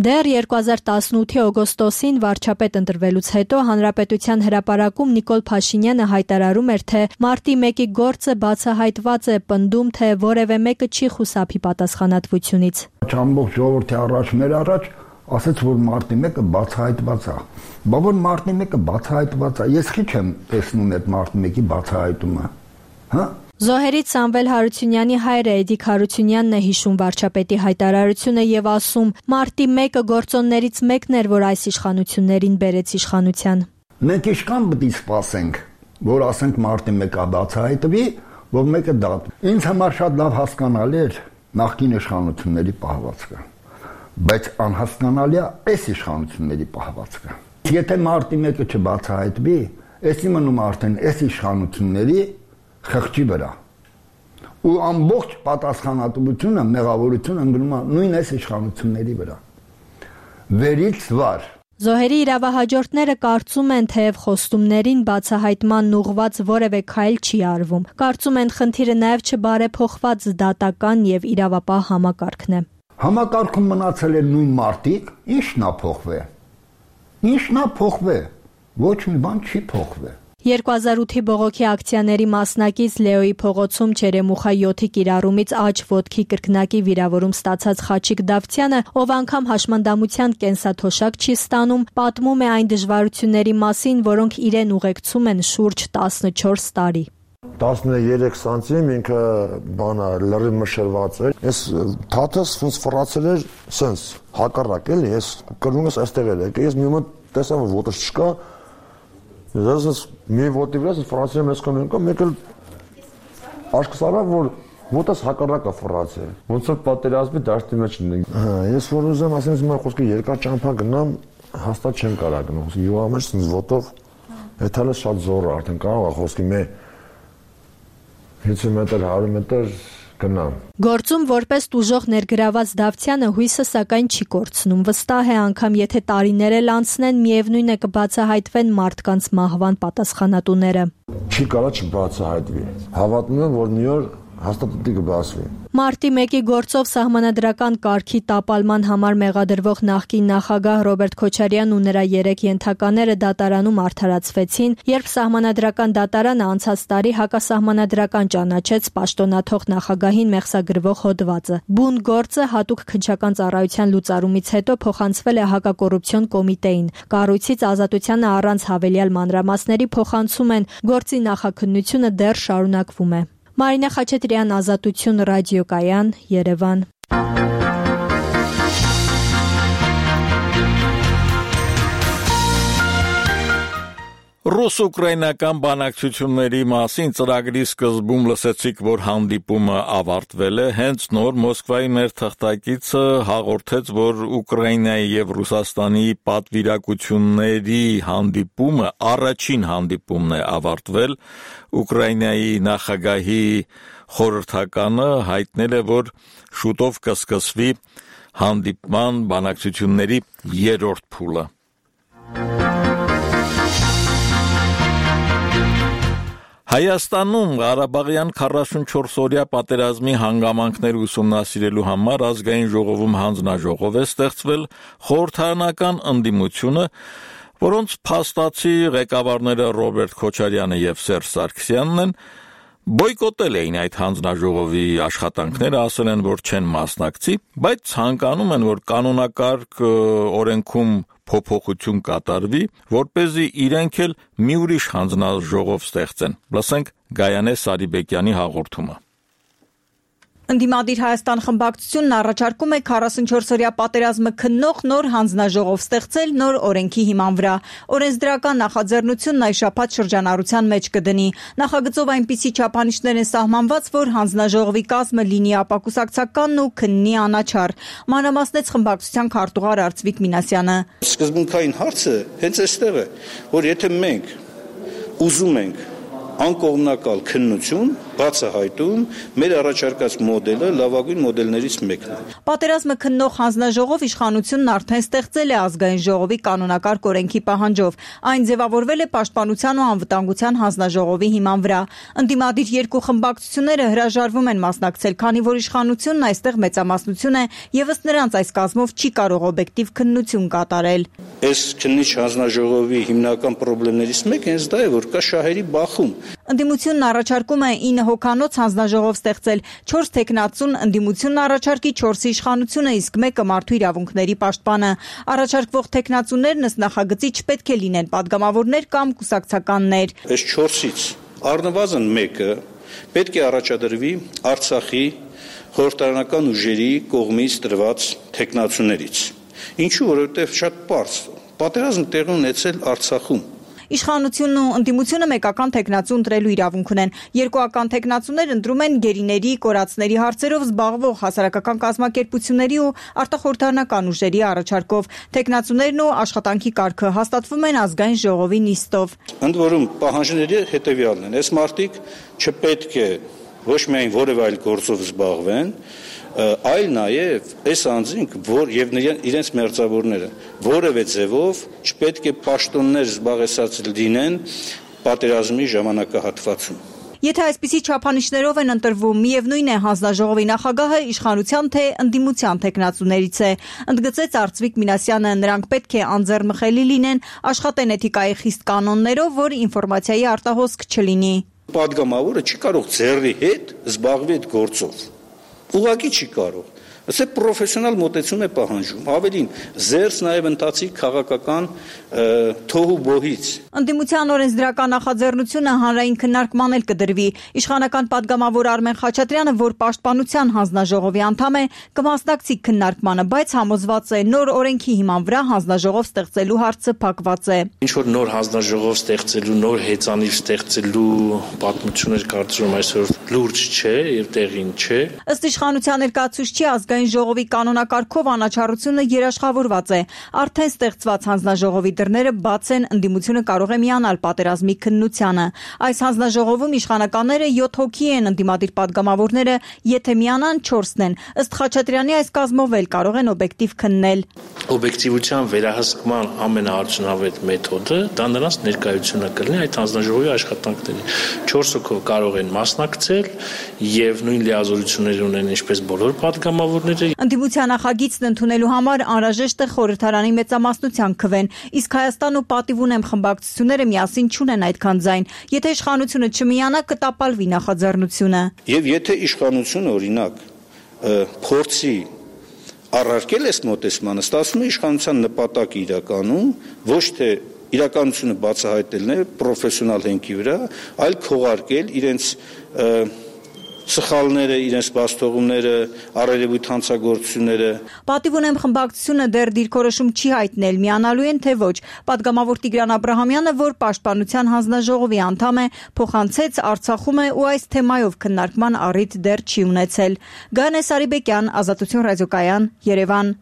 Դեռ երկու հազար տասնութի օգոստոսին վարչապետ ընտրվելուց հետո Հանրապետության հրապարակում Նիկոլ Փաշինյանը հայտարարում էր, թե մարտի մեկի գործը բացահայտված է, պնդում, թե որևէ մեկը չի խուսափի պատասխանատվությունից։ Ամբողջ ժողովրդի առաջ մեր առաջ ասաց, որ մարտի մեկը բացահայտված է։ Բա որ մարտի մեկը բացահայտված է, ես քիչ եմ տեսնում այդ մարտի մեկի բացահայտումը։ Հա? Զոհերից Սամվել Հարությունյանի հայրը Էդիկ Հարությունյանն է հիշում վարչապետի հայտարարությունը եւ ասում. «Մարտի մեկը գործոններից մեկն էր, որ այս իշխանություններին բերեց իշխանության»։ Մենք իշքան պետք է սպասենք, որ ասենք մարտի մեկը բացահայտվի, որ մեկը դատ։ Ինձ համար շատ լավ հասկանալի էր նախկին իշխանությունների պահվածքը, բայց անհասկանալի է այս իշխանությունների պահվածքը։ Եթե մարտի մեկը չբացահայտվի, եսի մնում արդեն այս իշխանությունների խղճի վրա ու ամբողջ պատասխանատվությունը, մեղավորությունը ընկնում է նույն այս իշխանությունների վրա։ Վերից վար։ Զոհերի իրավահաջորդները կարծում են, թեև խոստումներին բացահայտման ուղղված որևէ քայլ չի արվում։ Կարծում են, խնդիրը նաև չբարեփոխված դատական եւ իրավապահ համակարգն է։ Համակարգում մնացել են նույն մարդիկ, ի՞նչն է փոխվել։ Ի՞նչն է փոխվել։ Ոչ մի բան չի փոխվել։ երկու հազար ութի բողոքի ակցիաների մասնակից Լեոյի փողոցում Չերեմուխա յոթի կիրառումից աջ ոտքի կրկնակի վիրավորում ստացած Խաչիկ Դավթյանը, ով անգամ հաշմանդամության կենսաթոշակ չի ստանում, պատմում է այն դժվարությունների մասին, որոնք իրեն ուղեկցում են շուրջ տասնչորս տարի։ տասներեք սանտիմ ինքը բանա լրիվ մշրված էր։ Ես թաթս ինձ ֆրացել էր սենց հակառակ էլի, ես կրունս այստեղ էր եկել, ես մի մոտ տեսա որ ոտս չկա, ես մի ոտի վրա ֆրացել եմ ես կոմենկա, մեկ էլ աշկս արա որ ոտս հակառակ է ֆրացել։ Ոնց որ պատերազմի դաշտի մեջ ունենք։ Հա, ես որ ուզեմ ասեմ իմ խոսքը երկար ճամփա գնամ, հաստատ չեմ կարող գնալ։ Յուղա մեջ ինձ ոտով էթալը շատ զոր է, արդեն կարող է խոսքի մե հինգ մետր, հարյուր մետր գնամ։ Գործում որպես տուժող ներգրաված Դավթյանը հույսը սակայն չի կորցնում։ Վստահ է անգամ եթե տարիներ էլ անցնեն, միևնույն է կբացահայտվեն մարդկանց մահվան պատասխանատուները։ Չի կարող չբացահայտվի։ Հավատում եմ, որ մի օր հաստատ պիտի կբացվի։ Մարտի մեկի գործով սահմանադրական կարգի տապալման համար մեղադրվող նախկին նախագահ Ռոբերտ Քոչարյանն ու նրա երեք ենթակաները դատարանում արդարացվեցին, երբ սահմանադրական դատարանը անցած տարի հակասահմանադրական ճանաչեց պաշտոնաթող նախագահին մեղսագրվող հոդվածը։ Բուն գործը հատուկ քննչական ծառայության լուծարումից հետո փոխանցվել է հակակոռուպցիոն կոմիտեին։ Կառույցից ազատությանը առանց հավելյալ մանրամասների փոխանցում են, գործի նախաքննությունը դեռ շարունակվում է։ Մարինա Խաչատրյան, Ազատություն, ռադիոկայան, Երևան։ Ռուս-ուկրաինական բանակցությունների մասին ծրագրի սկզբում լսեցիք, որ հանդիպումը ավարտվել է, հենց նոր Մոսկվայի մեր թղթակիցը հաղորդեց, որ Ուկրաինայի եւ Ռուսաստանի պատվիրակությունների հանդիպումը առաջին հանդիպումն է ավարտվել։ Ուկրաինայի նախագահի խորհրդականը հայտնել է, որ շուտով կսկսվի հանդիպման բանակցությունների երրորդ փուլը։ Հայաստանում Ղարաբաղյան քառասունչորս-օրյա պատերազմի հանգամանքներ ուսումնասիրելու համար ազգային ժողովում հանձնաժողով է ստեղծվել խորհրդարանական ընդդիմությունը, որոնց փաստացի ղեկավարները Ռոբերտ Քոչարյանը եւ Սերժ Սարգսյանն են, բոյկոտել էին այդ հանձնաժողովի աշխատանքները, ասել են, որ չեն մասնակցի, բայց ցանկանում են, որ կանոնակարգ օրենքում փոփոխություն կատարվի, որպեսզի իրենք էլ մի ուրիշ հանձնաժողով ստեղծեն։ Լսենք Գայանե Սարիբեկյանի հաղորդումը։ Ընդդիմադիր Հայաստան խմբակցությունն առաջարկում է քառասունչորս-օրյա պատերազմը քննող նոր հանձնաժողով ստեղծել նոր օրենքի հիման վրա։ Օրենսդրական նախաձեռնությունն այս շաբաթ շրջանառության մեջ կդնի։ Նախագծով այնպիսի չափանիշներ են սահմանված, որ հանձնաժողովի կազմը լինի ապակուսակցականն ու քննի անաչառ։ Մանրամասնեց խմբակցության քարտուղար Արծվիկ Մինասյանը։ Սկզբունքային հարցը հենց այստեղ է, որ եթե մենք ուզում ենք անկողմնակալ քննություն, բացահայտում, մեր առաջարկած մոդելը լավագույն մոդելներից մեկն է։ Պատերազմը քննող հանձնաժողով իշխանությունն արդեն ստեղծել է ազգային ժողովի կանոնակարգ օրենքի պահանջով։ Այն ձևավորվել է Պաշտպանության ու անվտանգության հանձնաժողովի հիման վրա։ Ընդդիմադիր երկու խմբակցությունները հրաժարվում են մասնակցել, քանի որ իշխանությունն այստեղ մեծամասնություն է եւ ըստ նրանց այս կազմով չի կարող օբյեկտիվ քննություն կատարել։ Այս քննիչ հանձնաժողովի հիմնական խնդիրներից մեկը հենց դա է, որ կա շահերի բախում։ Ընդդիմությունն առաջարկում է ինը հոգանոց հանձնաժողով ստեղծել, չորս թեկնածուն, ընդդիմությունն առաջարկի չորսի իշխանությունը, իսկ մեկը մարդու իրավունքների պաշտպանը։ Առաջարկվող թեկնածուներն ըստ նախագծի չպետք է լինեն պատգամավորներ կամ կուսակցականներ։ Այս չորսից առնվազն մեկը պետք է առաջադրվի Արցախի խորհրդարանական ուժերի կողմից տրված թեկնածուներից։ Ինչու, որովհետև շատ պարզ պատերազմ տեղի ունեցել Արցախում։ Իշխանությունն ու ընդդիմությունը մեկական թեկնածու ընտրելու իրավունք ունեն։ Երկուական թեկնածուներ ընտրում են գերիների, կորածների հարցերով զբաղվող հասարակական կազմակերպությունների ու արտախորհրդարանական ուժերի առաջարկով։ Թեկնածուներն ու աշխատանքի կարգը հաստատվում են ազգային ժողովի նիստով։ Ընդ որում պահանջները հետևյալն են. այս մարդիկ չպետք է ոչ միայն որևէ այլ գործով զբաղվեն, այլ նաև այս անձինք, որ եւ իրենց մերձավորները որևէ ձևով չպետք է պաշտոններ զբաղեցած լինեն պատերազմի ժամանակահատվածում։ Եթե այսպիսի չափանիշներով են ընտրվում, միևնույն է հանձնաժողովի նախագահը իշխանության թե ընդդիմության թեկնածուներից է, ընդգծեց Արծվիկ Մինասյանը, նրանք պետք է անձեռնմխելի լինեն, աշխատեն էթիկայի խիստ կանոններով, որ ինֆորմացիայի արտահոսք չլինի։ Պատգամավորը չի կարող ձեռի հետ զբաղվի այդ գործով։ Ուղղակի չի կարող։ Ասե պրոֆեսիոնալ մոտեցում է պահանջում, ավելին զերծ նաև ընթացիկ քաղաքական թոհու բոհից։ Ընդդիմության օրենսդրական նախաձեռնությունը հանրային քննարկման էլ կդրվի։ Իշխանական պատգամավոր Արմեն Խաչատրյանը, որ Պաշտպանության հանձնաժողովի անդամ է, կմասնակցի քննարկմանը, բայց համոզված է նոր օրենքի հիման վրա հանձնաժողով ստեղծելու հարցը փակված է։ Ինչ որ նոր հանձնաժողով ստեղծելու, նոր հեծանիվ ստեղծելու պատմություններ կարծում այսօր լուրջ չէ եւ տեղին չէ։ Ըստ իշխանության ներկայացուցչի ազգային ժողովի կանոնակարգով անաչառությունը երաշխավորված է։ Արդեն ստեղծված հանձնաժողովի դռները բաց են, ընդդիմությունը կարող է միանալ պատերազմի քննությանը։ Այս հանձնաժողովում իշխանականները յոթ հոգի են, ընդդիմադիր պատգամավորները, եթե միանան չորսն են։ Ըստ Խաչատրյանի այս կազմով էլ կարող են օբյեկտիվ քննել։ Օբյեկտիվության վերահսկման ամենաարդյունավետ մեթոդը դա նրանց ներկայությունը կլինի այդ հանձնաժողովի աշխատանքներին։ չորս հոգով կարող են մասնակցել եւ նույն լիազորություններ ունեն ինչպես բոլոր պատգամավորները։ Ընդդիմության նախագիծն ընդունելու համար անհրաժեշտ է խորհրդարանի մեծամասնության քվեն, իսկ Հայաստան ու Պատիվ ունեմ խմբակցությունները միասին չունեն այդքան ձայն։ Եթե իշխանությունը չմիանա, կտապալվի նախաձեռնությունը։ Եվ եթե իշխանությունը օրինակ փորձի առարկել այս մոտեցմանը, ստացվում է իշխանության նպատակը իրականում ոչ թե իրականությունը բացահայտելն է պրոֆեսիոնալ հենքի վրա, այլ քողարկել իրենց սխալները, իրենց բացթողումները, առերևույթ հանցագործությունները։ Պատիվ ունեմ խմբակցությունը դեռ դիրքորոշում չի հայտնել, միանալու են թե ոչ։ Պատգամավոր Տիգրան Աբրահամյանը, որ Պաշտպանության հանձնաժողովի անդամ է, փոխանցեց Արցախում է ու այս թեմայով քննարկման առիթ դեռ չի ունեցել։ Գանե Սարիբեկյան, Ազատություն ռադիոկայան, Երևան։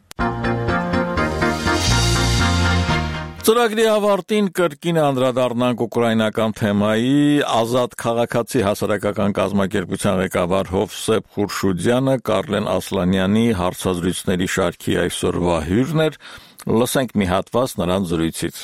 Ծրագրի ավարտին կրկին անդրադառնանք ուկրաինական թեմայի։ Ազատ քաղաքացի հասարակական կազմակերպության ղեկավար Հովսեփ Խուրշուդյանը Կարլեն Ասլանյանի հարցազրույցների շարքի այսօրվա հյուրն էր։ Լսենք մի հատված նրան զրույցից։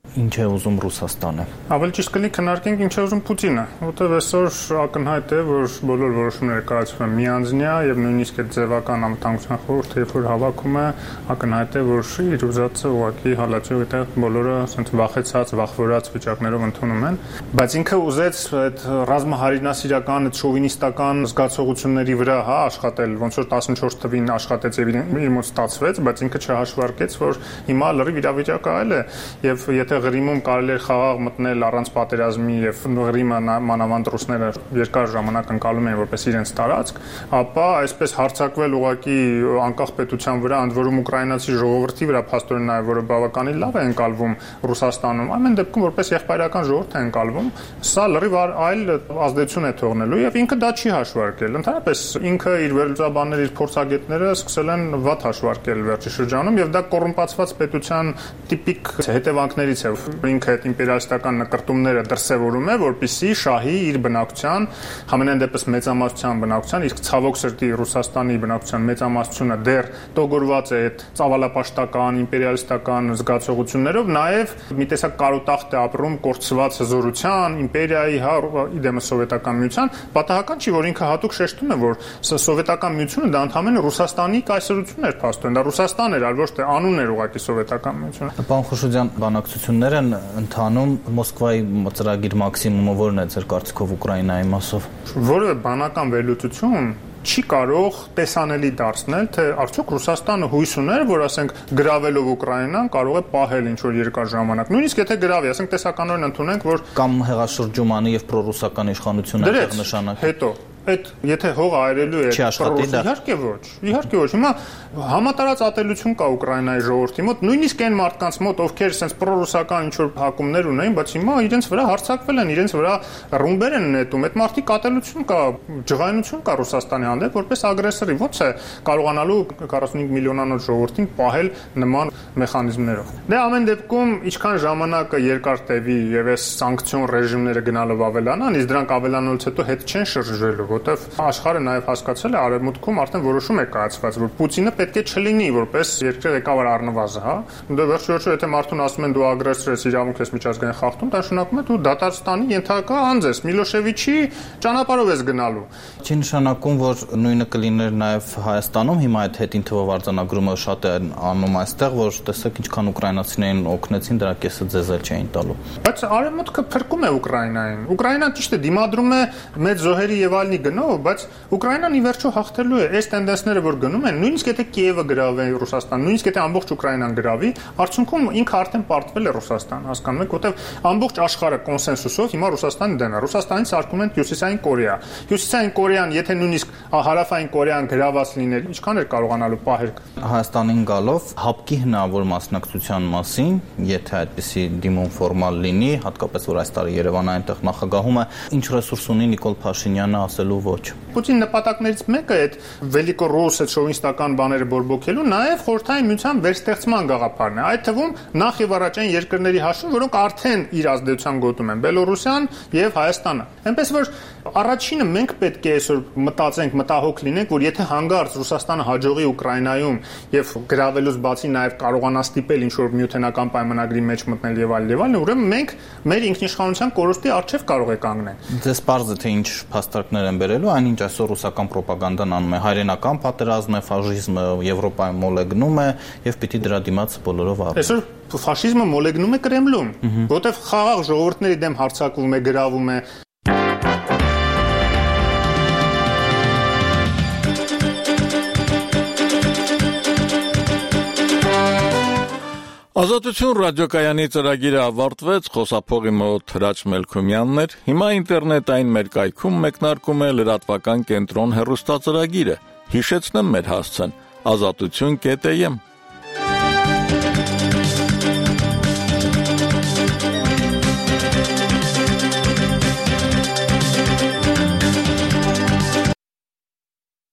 Ինչ է ուզում Ռուսաստանը։ Ավելի ճիշտ կլինի քննարկենք ինչ է ուզում Պուտինը, որտեղ այսօր ակնհայտ է, որ բոլոր որոշումները կայացվում են միանձնյա եւ նույնիսկ այդ ձևական անվտանգության խորհուրդը, երբ որ հավաքում է, ակնհայտ է, որ իր ուզածը ուղղակի հալածող այդտեղ բոլորը ասենց վախեցած, վախվորած վիճակներով ընդունում են, բայց ինքը ուզեց այդ ռազմահարինասիրական, այդ շովինիստական զգացողությունների վրա, հա, աշխատել, ոնց որ տասնչորս թվին աշխատեց եւ իր մոտ ստացվեց, բայց ինքը չհաշվարկեց, որ հիմա լրիվ իրավիճակը այլ է եւ եթե Ղրիմում կարելի էր խաղաղ մտնել առանց պատերազմի եւ Ղրիմը մանավանդ ռուսները երկար ժամանակ ընկալում էին որպես իրենց տարածք, ապա այսպես հարձակվել ուղակի անկախ պետության վրա, ընդ որում ուկրաինացի ժողովրդի վրա փաստորեն նաեւ որը բավականին լավ է ընկալվում Ռուսաստանում, ամեն դեպքում որպես եղբայրական ժողովուրդ է ընկալվում, սա լրիվ այլ ազդեցություն է թողնելու եւ ինքը դա չի հաշվարկել։ Ընդհանրապես ինքը իր վերլուծաբանները, իր փորձագետները սկսել են վատ հաշվարկել վերջի շրջանում եւ դա կոռումպացված պետության տիպիկ հետևանքներից է։ Ինքը այդ իմպերիալիստական նկրտումները դրսևորում է, որպեսզի շահի իր բնակության, համենայն դեպս մեծամասնության բնակության, իսկ ցավոք սրտի Ռուսաստանի բնակության մեծամասնությունը դեռ տոգորված է այդ ծավալապաշտական, իմպերիալիստական զգացողություններով, նաեւ մի տեսակ կարոտախտ է ապրում կորցված հզորության, իմպերիայի, հա, իդեմը սովետական միության, պատահական չի, որ ինքը հատուկ շեշտում է, որ սովետական միությունը դա ընդհանրապես Ռուսաստանի կայսրությունն էր փաստորեն, դա Ռուսաստան էր, այլ ոչ թե անուն էր ուղղակի սովետական միությունը։ Պարոն Խուրշուդյան, բանակցություններ են ընթանում, Մոսկվայի ծրագիր մաքսիմումը որն է ձեր կարծիքով Ուկրաինայի մասով։ Որևէ բանական վերլուծություն չի կարող տեսանելի դարձնել, թե արդյոք Ռուսաստանը հույս ուներ, որ ասենք գրավելով Ուկրաինան կարող է պահել ինչ որ երկար ժամանակ։ Նույնիսկ եթե գրավի, ասենք տեսականորեն ընդունենք, որ կամ հեղաշրջումանի եւ պրոռուսական իշխանությունը այդտեղ նշանակի։ Հետո Այդ եթե հողը այրելու է իհարկե ոչ, իհարկե ոչ։ Հիմա համատարած ատելություն կա Ուկրաինայի ժողովրդի մոտ, նույնիսկ այն մարդկանց մոտ, ովքեր sense պրոռուսական ինչ որ հակումներ ունեն, բայց հիմա իրենց վրա հարձակվել են, իրենց վրա ռումբեր են նետում։ Այդ մարդիկ ատելություն կա, ջղայնություն կա Ռուսաստանի հանդեպ որպես ագրեսորի։ Ո՞նց է կարողանալու քառասունհինգ միլիոնանոց ժողովրդին պահել նման մեխանիզմներով։ Դե ամեն դեպքում ինչքան ժամանակը երկար տևի եւ այս սանկցիոն ռեժիմները գնալով ավելանան, իսկ դրանք ավելանալուց հետո հետ չեն շրջվելու որտեվ աշխարհը նաև հասկացել է արևմուտքում արդեն որոշում է կայացված, որ Պուտինը պետք է չլինի որպես երկրի ղեկավար առնվազն, հա։ Դե վերջիորոշու եթե մարդուն ասում են դու ագրեսոր ես, իրավունք ես միջազգային խախտում, դա նշանակում է դու դատարանստանի ենթակա անձ ես, Միլոշևիչի ճանապարհով ես գնալու։ Չի նշանակում, որ նույնը կլիներ նաև Հայաստանում, հիմա այդ հետին թվով արձանագրումը շատ է անում այստեղ, որ տեսեք ինչքան ուկրաինացիներին օգնեցին, դրա կեսը ձեզ էլ չէին տալու։ Բայց արևմուտքը փրկում է Ուկրաինային։ Ուկրաինան ճիշտ է դիմադրում է մեծ զոհերի եւ այլնի գնով, բայց Ուկրաինան ի վերջո հաղթելու է։ Այս տենդենսները, որ գնում են, նույնիսկ եթե Կիևը գրավի Ռուսաստան, նույնիսկ եթե ամբողջ Ուկրաինան գրավի, արդյունքում ինքը արդեն պարտվել է Ռուսաստան, հասկանում եք, որտեվ ամբողջ աշխարհը կոնսենսուսով հիմա Ռուսաստանի դեն է։ Ռուսաստանից արկում են Հյուսիսային Կորեա։ Հյուսիսային Կորեան, եթե նույնիսկ Հարավային Կորեան գրաված լիներ, ինչքան էր կարողանալու պահել։ Հայաստանին գալով հապկի հնարավոր մասնակցության մասին, եթե այդպիսի դիմում ֆորմալ լինի, հատկապես որ այս տարի Երևանը այնտեղ նախագահում է, ինչ ռեսուրս ունի Նիկոլ Փաշինյանը ասելու ոչ։ Պուտին նպատակներից մեկը այդ վելիկորոսը շովինիստական բաները բորբոքելու, նաև խորհրդային միության վերստեղծման գաղափարն է։ Այդ թվում նախ եւ առաջ այն երկրների հաշվին, որոնք արդեն իր ազդեցության գոտում են՝ Բելոռուսիան եւ Հայաստանը։ Այնպես որ առաջինը մենք պետք է այսօր մտածենք, մտահոգ լինենք, որ եթե հանգարց Ռուսաստանը հաջողի Ուկրաինայում եւ գրավելուց բացի նաև կարողանա ստիպել ինչ որ միութենական պայմանագրի մեջ մտնել եւ այլ եւ այլն, ուրեմն մենք մեր ինքնիշխանության կորուստի առջեւ կարող է կանգնել։ Ձեզ պարզ է թե ինչ փաստարկներ են բերելու, այնինչ այսօր ռուսական ռոպագանդան անում է, հայրենական պատերազմ է, ֆաշիզմը Եվրոպայում մոլեգնում է եւ պիտի դրա դիմաց բոլորով առնի։ Այսօր ֆաշիզմը մոլեգնում է Կրեմլում, որտեղ խաղաղ ժողովուրդների դեմ հարձակվում է, գրավում է։ Ազատություն ռադիոկայանի ծրագիրը ավարտվեց, խոսափողի մոտ Հրաչ Մելքումյանն էր, հիմա ինտերնետային մեր կայքում մեկնարկում է լրատվական կենտրոն հեռուստածրագիրը, հիշեցնեմ մեր հասցեն, ազատություն կետ էմ